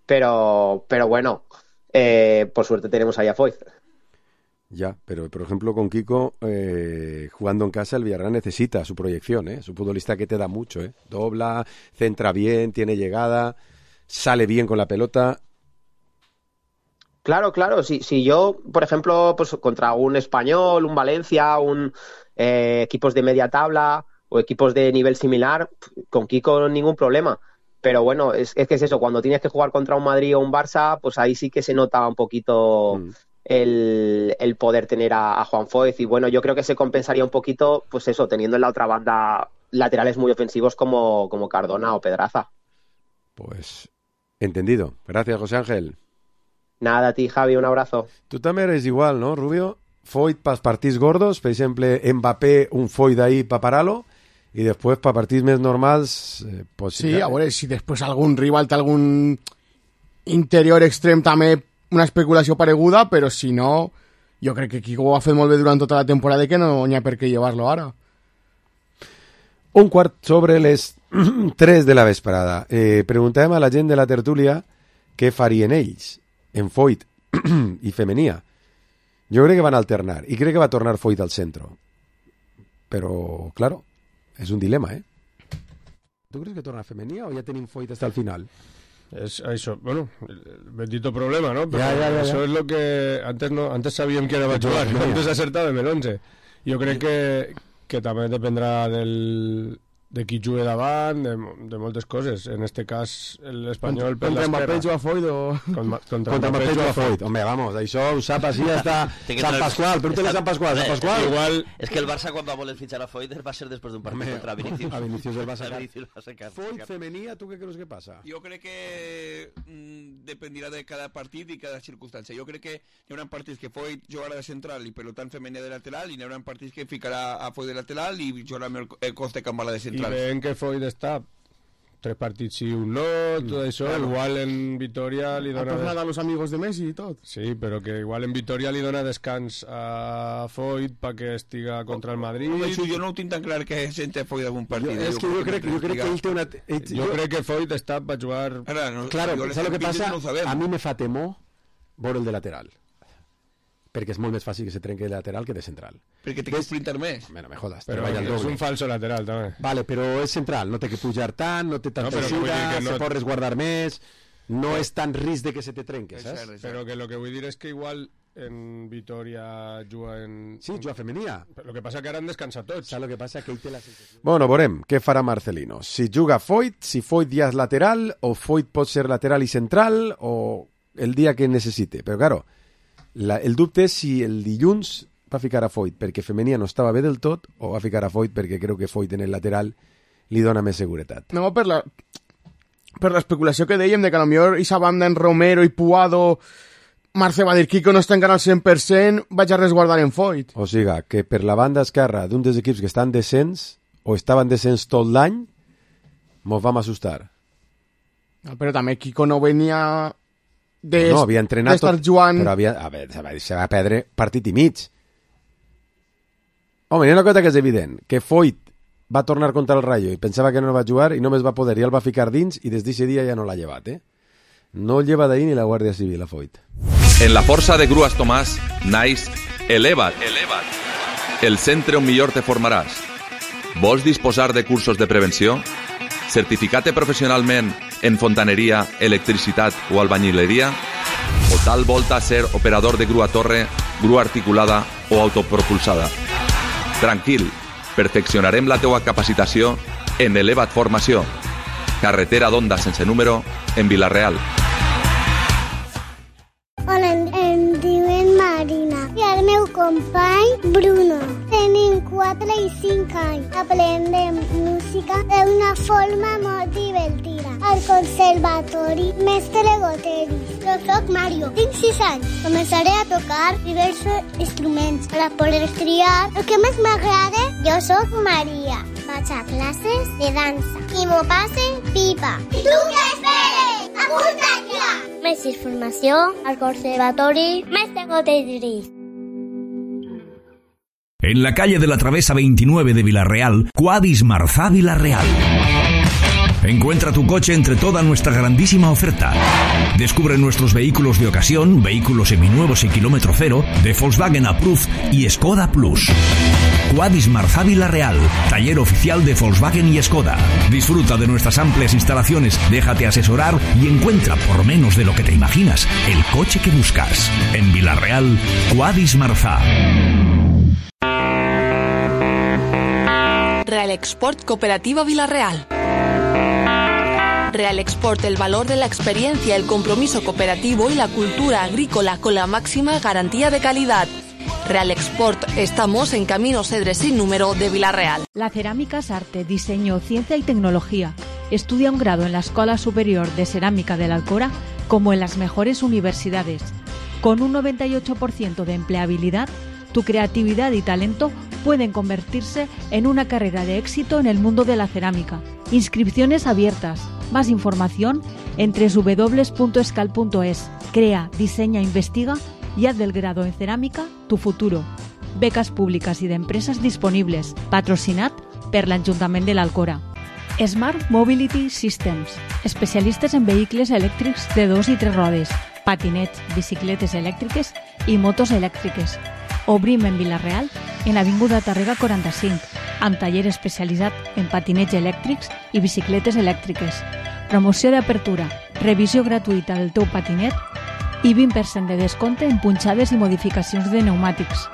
pero bueno, por suerte tenemos ahí a Foyt. Ya, pero por ejemplo con Kiko, jugando en casa, el Villarreal necesita su proyección, es un futbolista que te da mucho, dobla, centra bien, tiene llegada, sale bien con la pelota. Claro, si yo, por ejemplo, pues contra un Español, un Valencia, equipos de media tabla o equipos de nivel similar, con Kiko ningún problema. Pero bueno, es que es eso, cuando tienes que jugar contra un Madrid o un Barça, pues ahí sí que se nota un poquito el poder tener a Juan Foyt, y bueno, yo creo que se compensaría un poquito, pues eso, teniendo en la otra banda laterales muy ofensivos como Cardona o Pedraza. Pues entendido. Gracias, José Ángel. Nada, a ti, Javi, un abrazo. Tu també eres igual, no, Rubio? Foyt pels partits gordos, per exemple, Mbappé, un Foyt ahí para pararlo, y después para partits més normals... pues, sí, a veure, si després algun rival té algun interior extrem també una especulació pareguda, però si no, jo crec que Kiko ho ha fet molt bé durant tota la temporada i que no n'hi ha per què llevar-lo ara. 1:15 les 3 de la vesprada. Preguntàvem a la gent de la tertúlia què farien ells en Foyt i Femenía. Jo crec que van alternar i crec que va tornar Foyt al centro. Però, claro, és un dilema, ¿Tu crees que torna Femenía o ya tenim Foyt hasta el final? Es eso, bueno, el bendito problema, ¿no? Pero ya. Eso es lo que antes sabíem que era va jugar, antes acertàvem el 11. Jo crec que també dependrà de qui jugui davant, de moltes coses. En este cas, l'Espanyol per l'esquerra. Contra Mbappé juga Foyt o... Contra Mbappé juga Foyt. Home, vamos, això ho sap així hasta Sant Pasqual. Pregúntale a Sant Pasqual. Igual... És que el Barça quan va voler fitxar a Foyt va ser després d'un partit contra Vinicius. A Vinicius el va sacar. Foyt Femenía, ¿tú qué crees que pasa? Yo creo que dependerá de cada partido y cada circunstancia. Yo creo que hi haurà partits que Foyt jugarà de central i per tant Femenía de lateral, i hi haurà partits que ficarà a Foyt de lateral i jugarà amb el Costa Cambala de central. I veiem que Foyt està 3 partits sí, un no, tot això, claro. Igual en Vitoria li dona... Ha tornat a los amigos de Messi i tot. Sí, però que igual en Vitoria li dona descans a Foyt perquè estiga contra el Madrid. Això jo no ho tinc tan clar que sente Foyt algun partit. Jo crec que ell té una... Jo crec que Foyt està per jugar... Claro, ¿sabes lo que pasa? A mi me fa temor veure el de lateral. Perquè és molt més fàcil que se trenqui de lateral que de central. Perquè té que sprintar més. Bueno, me jodas. Però és un falso lateral, també. Vale, però és central, no té que pujar tant, no té tanta eixida, se pot resguardar més, no és tan risc de que se te trenque, saps? Però que lo que vull dir és que igual en Vitoria juga en... Sí, juga Femenía. Lo que passa que ara han descansat tots. Saps lo que passa? Que ell té la sensació... Bueno, veurem què farà Marcelino. Si juga Foyt, si Foyt ja és lateral, o Foyt pot ser lateral i central, o el dia que necessite. Però, claro, el dubte és si el dilluns va ficar a Foyt perquè Femenía no estava bé del tot o va ficar a Foyt perquè creu que Foyt en el lateral li dona més seguretat. No, per l'especulació que dèiem de que potser aquesta banda en Romero i Puado, Marce va dir Kiko no està encara al 100%, vaig a resguardar en Foyt. O sigui, que per la banda esquerra d'un dels equips que estan descens o estaven descens tot l'any, mos vam assustar. No, però també Kiko no venia No, havia entrenat d'estar jugant... Però se va perdre partit i mig. Home, hi ha una cosa que és evident, que Foyt va tornar contra el Rayo i pensava que no va jugar i només va poder i el va ficar dins i des d'aquest dia ja no l'ha llevat, No el lleva d'ahir ni la Guàrdia Civil, a Foyt. En la força de Grues Tomàs naix Eleva't, el centre on millor te formaràs. Vols disposar de cursos de prevenció? Certificar-te professionalment en fontaneria, electricitat o albañileria? O tal volta ser operador de grua torre, grua articulada o autopropulsada? Tranquil, perfeccionarem la teua capacitació en Eleva't Formació. Carretera d'Onda sense número, en Vila-real. Hola, em diuen Marina i el meu company Bruno. Tenim 4 i 5 anys. Aprendem música d'una forma molt divertida. Al conservatori Mestre Goteris. Jo soc Mario, tinc 6 anys. Començaré a tocar diversos instruments per a poder triar el que més m'agrada. Jo soc Maria. Vaig a classes de dansa i m'ho passe pipa. I tu què esperes? Apunta't ja! Més informació al conservatori Mestre Goteris. En la calle de la Travesa 29 de Vila-real, Quadis Marzá Vila-real. Encuentra tu coche entre toda nuestra grandísima oferta. Descubre nuestros vehículos de ocasión, vehículos seminuevos y kilómetro cero, de Volkswagen Approved y Skoda Plus. Quadis Marzá Vila-real, taller oficial de Volkswagen y Skoda. Disfruta de nuestras amplias instalaciones, déjate asesorar y encuentra, por menos de lo que te imaginas, el coche que buscas. En Vila-real, Quadis Marzá. Real Export Cooperativa Vila-real. Real Export, el valor de la experiencia, el compromiso cooperativo y la cultura agrícola con la máxima garantía de calidad. Real Export, estamos en Camino Cedres sin número de Vila-real. La cerámica es arte, diseño, ciencia y tecnología. Estudia un grado en la Escuela Superior de Cerámica de la Alcora como en las mejores universidades. Con un 98% de empleabilidad, tu creatividad y talento pueden convertirse en una carrera de éxito en el mundo de la cerámica. Inscripciones abiertas. Más información en www.escal.es. Crea, diseña, investiga y haz del grado en cerámica tu futuro. Becas públicas y de empresas disponibles. Patrocinat per l'Ajuntament de l'Alcora. Smart Mobility Systems. Especialistes en vehicles elèctrics de 2 i 3 rodes, patinets, bicicletes elèctriques i motos elèctriques. Obrim en Vila-real, en Avinguda Tàrrega 45, amb taller especialitzat en patinets elèctrics i bicicletes elèctriques. Promoció d'apertura, revisió gratuïta del teu patinet i 20% de descompte en punxades i modificacions de pneumàtics.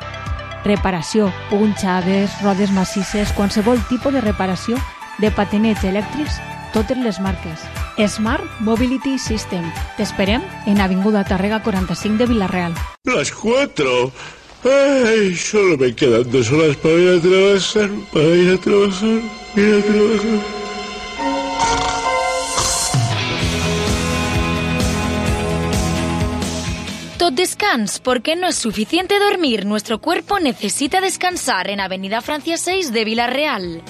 Reparació, punxades, rodes massisses, qualsevol tipus de reparació de patinets elèctrics, totes les marques. Smart Mobility System. T'esperem en Avinguda Tàrrega 45 de Vila-real. Las 4. Ay, solo me quedan 2 horas para ir a trabajar, Tot descans, porque no es suficiente dormir. Nuestro cuerpo necesita descansar en Avenida Francia 6 de Vila-real.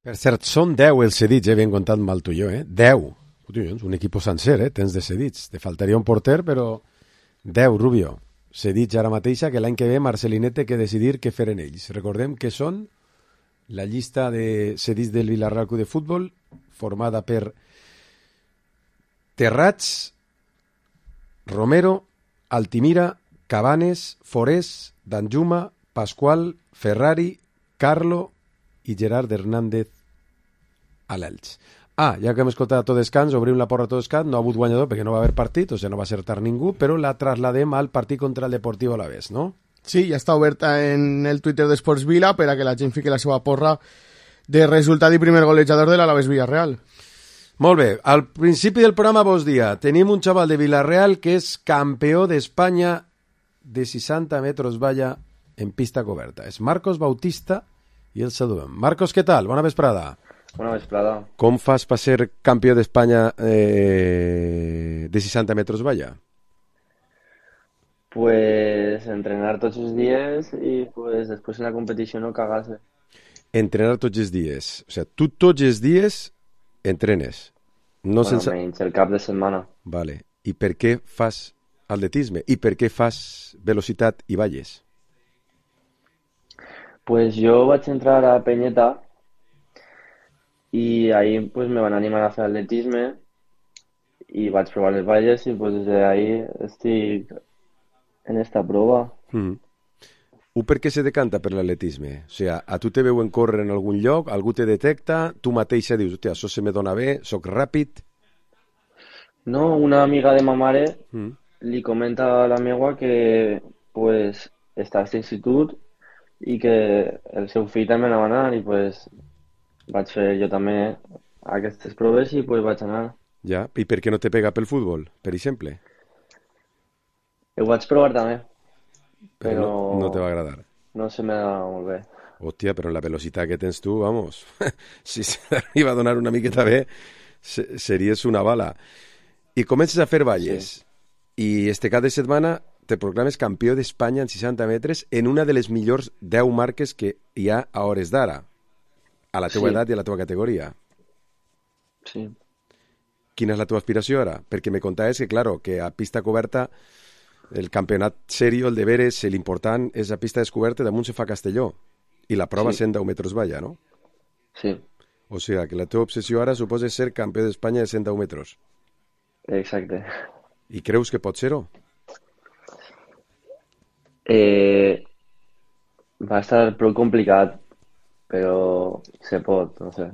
Per cert, són 10 els cedits, ben comptat mal tu i jo, 10. Collons, un equip sencer, tens de cedits. Te faltaria un porter, però 10, Rubio. Cedits ara mateixa, que l'any que ve Marcelinet té que decidir què fer en ells. Recordem que són la llista de cedits del Vila-real Club de Futbol, formada per Terrats, Romero, Altimira, Cabanes, Forés, Danjuma, Pasqual, Ferrari, Carlo i Gerard Hernández a l'Elx. Ja que hem escoltat a tot descans, obrim la porra a tot descans, no ha hagut guanyador perquè no va haver partit, o sigui, no va acertar ningú, però la trasladem al partit contra el Deportivo Alavés, no? Sí, ja està oberta en el Twitter d'Esports Vila per a que la gent fiqui la seva porra de resultat i primer golejador de l'Alavés Villarreal. Molt bé, al principi del programa vos dia, tenim un xaval de Vila-real que és campió d'Espanya de 60 metres valla en pista coberta. És Marcos Bautista i el saludem. Marcos, què tal? Bona vesprada. Bona vesprada. Com fas per ser campió d'Espanya de 60 metres valla? Pues entrenar tots els dies i pues després en la competició no cagar-se. Entrenar tots els dies. O sigui, tu tots els dies entrenes. No bueno, sense... menys el cap de setmana. Vale. I per què fas atletisme? I per què fas velocitat i valles? Pues yo vaig entrar a Peñeta y ahí pues me van a animar a hacer atletisme y vaig probar les valles y pues desde ahí estic en esta prova. Per què se decanta per l'atletisme? O sigui, a tu te veuen córrer en algun lloc, algú te detecta, tu mateixa dius, hòstia, això se me dona bé, soc ràpid... No, una amiga de ma mare li comenta a la meua que pues està a aquest institut i que el seu fill també anava a anar i pues vaig fer jo també aquestes proves i pues vaig anar. Ja, i per què no te pega pel futbol, per exemple? Ho vaig provar també, Però no te va agradar. no se me da molt bé. Hòstia, però la velocitat que tens tu, vamos, si s'arriba a donar una miqueta bé, series una bala. I comences a fer valles. I este cap de setmana te proclames campió d'Espanya en 60 metres en una de les millors 10 marques que hi ha a hores d'ara, a la teua edat i a la teua categoria. Sí. Quina és la teva aspiració ara? Perquè me contaves que, claro, que a pista coberta el campionat serio, el de veres, l'important és a pista descoberta, damunt se fa Castelló. I la prova 110 metres valla, no? Sí. O sigui, que la teva obsessió ara suposa ser campió d'Espanya de 110 metres. Exacte. I creus que pot ser-ho? Va estar prou complicat, però se pot, no sé.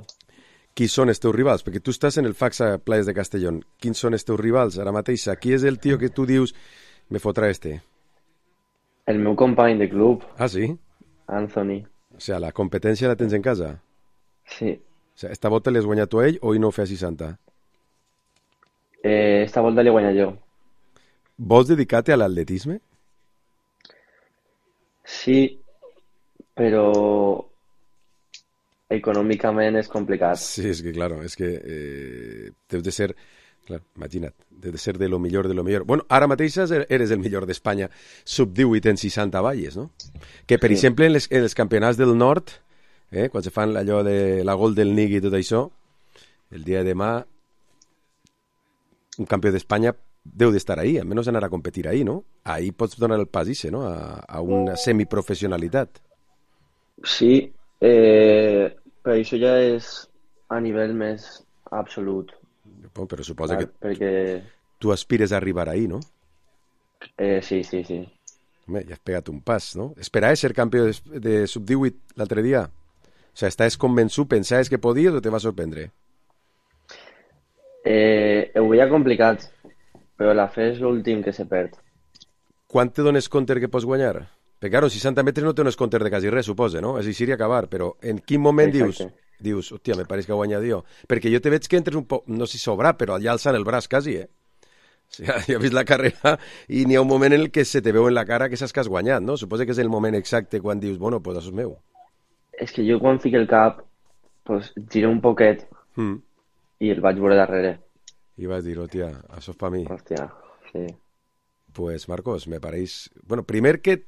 Qui són els teus rivals? Perquè tu estàs en el Faxa Playas de Castellón. Quins són els teus rivals ara mateix? Qui és el tio que tu dius me fotrà este? El meu company de club. Ah, sí? Anthony. O sigui, la competència la tens en casa? Sí. O sigui, esta volta l'has guanyat tu a ell o ell no ho fa a 60? Esta volta l'he guanyat jo. Vols dedicar-te a l'atletisme? Sí, però econòmicament és complicat. Sí, és que, claro, és que deus de ser, clar, imagina't, deus de ser de lo millor de lo millor. Bueno, ara mateix eres el millor d'Espanya sub-18 en 60 valles, no? Que, per exemple, en els campionats del nord, quan se fan allò de la Golden League i tot això, el dia de demà un campió d'Espanya deu d'estar ahí, almenys anar a competir ahí, no? Ahí pots donar el pas ese, no? A una semiprofessionalitat. Sí, però això ja és a nivell més absolut. Però suposa que perquè... tu aspires a arribar ahí, no? Sí. Home, ja has pegat un pas, no? Esperaves ser campió de sub-18 l'altre dia? O sigui, estàs convençut, pensaves que podies o te va sorprendre? Ho veia complicat, però la fe és l'últim que se perd. Quan te dones compte que pots guanyar? Perquè, claro, 60 metres no te dones compte de quasi res, suposa, no? És així acabar, però en quin moment dius, hòstia, me pareix que ha guanyat jo? Perquè jo te veig que entres un poc, no sé si sobrat, però ja alçant el braç quasi, O sigui, ja he vist la carrera i n'hi ha un moment en el que se te veu en la cara que saps que has guanyat, no? Suposa que és el moment exacte quan dius, bueno, pues això és meu. És que jo quan fico el cap, pues, giro un poquet i el vaig veure darrere. I vas dir, hòstia, això és per mi. Hòstia, sí. Pues, Marcos, me pareix... Bueno, primer que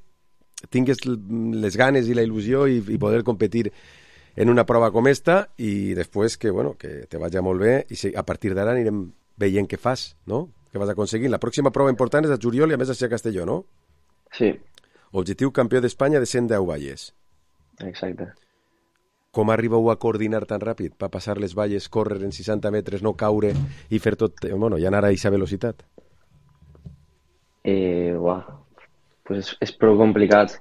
tingues les ganes i la il·lusió i poder competir en una prova com esta i després que, bueno, que te vagi molt bé i a partir d'ara anirem veient què fas, no? Què vas aconseguint. La pròxima prova important és a juliol i a més a ser a Castelló, no? Sí. Objectiu campió d'Espanya de 110 valles. Exacte. Com arribeu a coordinar tan ràpid per passar les valles, córrer en 60 metres, no caure i fer tot... Bueno, i anar a aquesta velocitat? Pues és prou complicat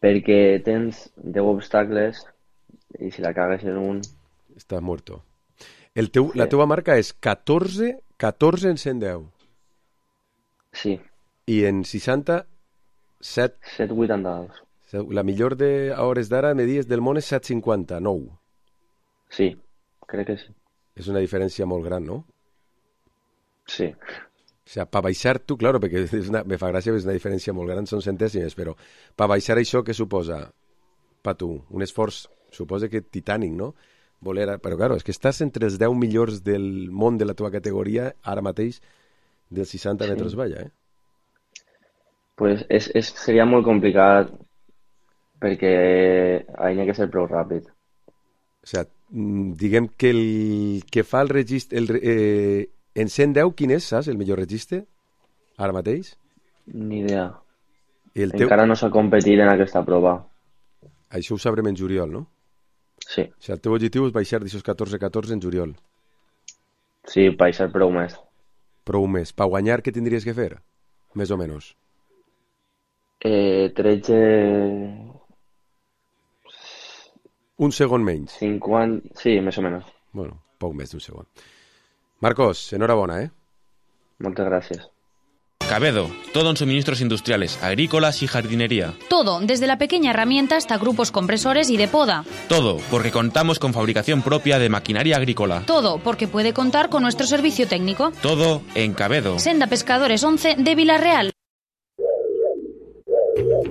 perquè tens 10 obstacles i si la cagues en un... Estàs muerto. La teva marca és 14 en 110. Sí. I en 60, 7,82. La millor de a hores d'ara me dies del món és 7,59. Sí, crec que sí. És una diferència molt gran, no? Sí. O sigui, per baixar tu, claro, perquè me fa gràcia, és una diferència molt gran, són centèsimes, però per baixar això, què suposa per tu? Un esforç, suposa que titànic, no? Però, claro, és que estàs entre els 10 millors del món de la teva categoria, ara mateix, dels 60 metres valla, Pues seria molt complicat perquè hi ha que ser prou ràpid. O sigui, diguem que el que fa el registre, En 110, quin és, saps, el millor registre? Ara mateix? Ni idea. Encara no s'ha competit en aquesta prova. Això ho sabrem en juliol, no? Sí. O sigui, el teu objectiu és baixar d'aixòs 14-14 en juliol. Sí, baixar prou més. Prou més. Per guanyar, què tindries que fer? Més o menys. 13... Un segon menys. 50... Sí, més o menys. Bueno, poc més d'un segon. Marcos, enhorabona, Muchas gracias. Cabedo, todo en suministros industriales, agrícolas y jardinería. Todo, desde la pequeña herramienta hasta grupos compresores y de poda. Todo, porque contamos con fabricación propia de maquinaria agrícola. Todo, porque puede contar con nuestro servicio técnico. Todo en Cabedo. Senda Pescadores 11 de Villarreal.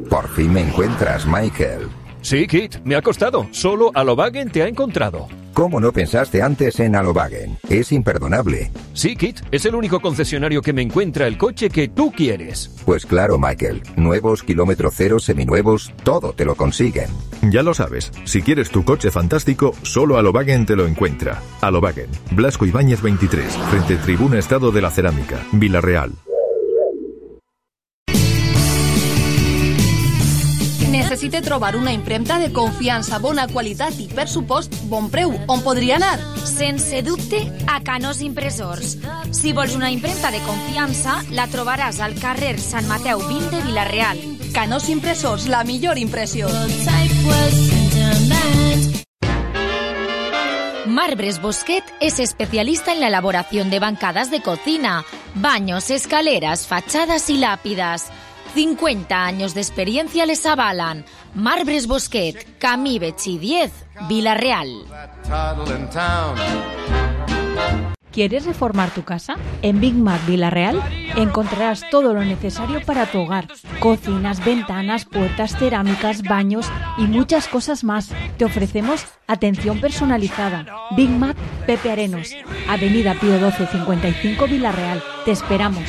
Por fin me encuentras, Michael. Sí, Kit, me ha costado. Solo Alovagen te ha encontrado. ¿Cómo no pensaste antes en Alovagen? Es imperdonable. Sí, Kit, es el único concesionario que me encuentra el coche que tú quieres. Pues claro, Michael. Nuevos, kilómetro cero, seminuevos, todo te lo consiguen. Ya lo sabes, si quieres tu coche fantástico, solo Alovagen te lo encuentra. Alovagen, Blasco Ibáñez 23, frente Tribuna Estado de la Cerámica, Villarreal. Necessite trobar una impremta de confiança, bona qualitat i, per supost, bon preu. On podria anar? Sense dubte, a Canós Impressors. Si vols una impremta de confiança, la trobaràs al carrer Sant Mateu 20 de Villarreal. Canós Impressors, la millor impressió. Marbres Bosquet es especialista en la elaboración de bancadas de cocina, baños, escaleras, fachadas y lápidas. 50 años de experiencia les avalan. Marbres Bosquet, Camí Betxí 10, Villarreal. ¿Quieres reformar tu casa? En Big Mac Villarreal encontrarás todo lo necesario para tu hogar. Cocinas, ventanas, puertas, cerámicas, baños y muchas cosas más. Te ofrecemos atención personalizada. Big Mac Pepe Arenos, Avenida Pío 12 55 Villarreal. Te esperamos.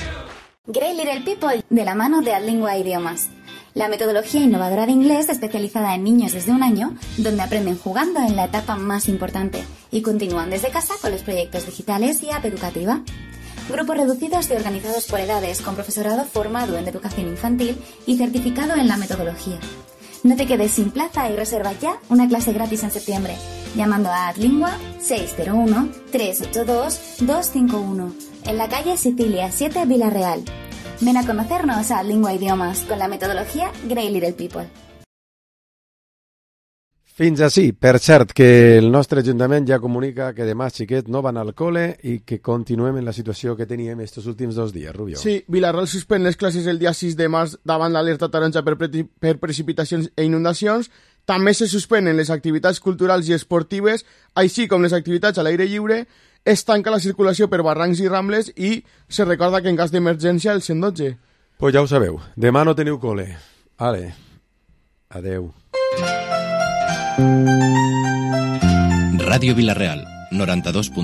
Great Little People, de la mano de Adlingua Idiomas. La metodología innovadora de inglés especializada en niños desde 1 año, donde aprenden jugando en la etapa más importante y continúan desde casa con los proyectos digitales y app educativa. Grupos reducidos y organizados por edades, con profesorado formado en educación infantil y certificado en la metodología. No te quedes sin plaza y reserva ya una clase gratis en septiembre, llamando a Adlingua 601-382-251, en la calle Sicilia 7, Villarreal. Ven a conocernos a Adlingua Idiomas con la metodología Great Little People. Fins així. Per cert, que el nostre Ajuntament ja comunica que demà els xiquets no van al col·le i que continuem en la situació que teníem estos últims 2 dies, Rubio. Sí, Villarreal suspèn les classes el dia 6 de març davant l'alerta taronja per precipitacions i inundacions. També se suspenen les activitats culturals i esportives, així com les activitats a l'aire lliure. Es tanca la circulació per barrancs i rambles i se recorda que en cas d'emergència el 112. Pues ja ho sabeu, demà no teniu col·le. Ale, adeu. Ràdio Villarreal, 92.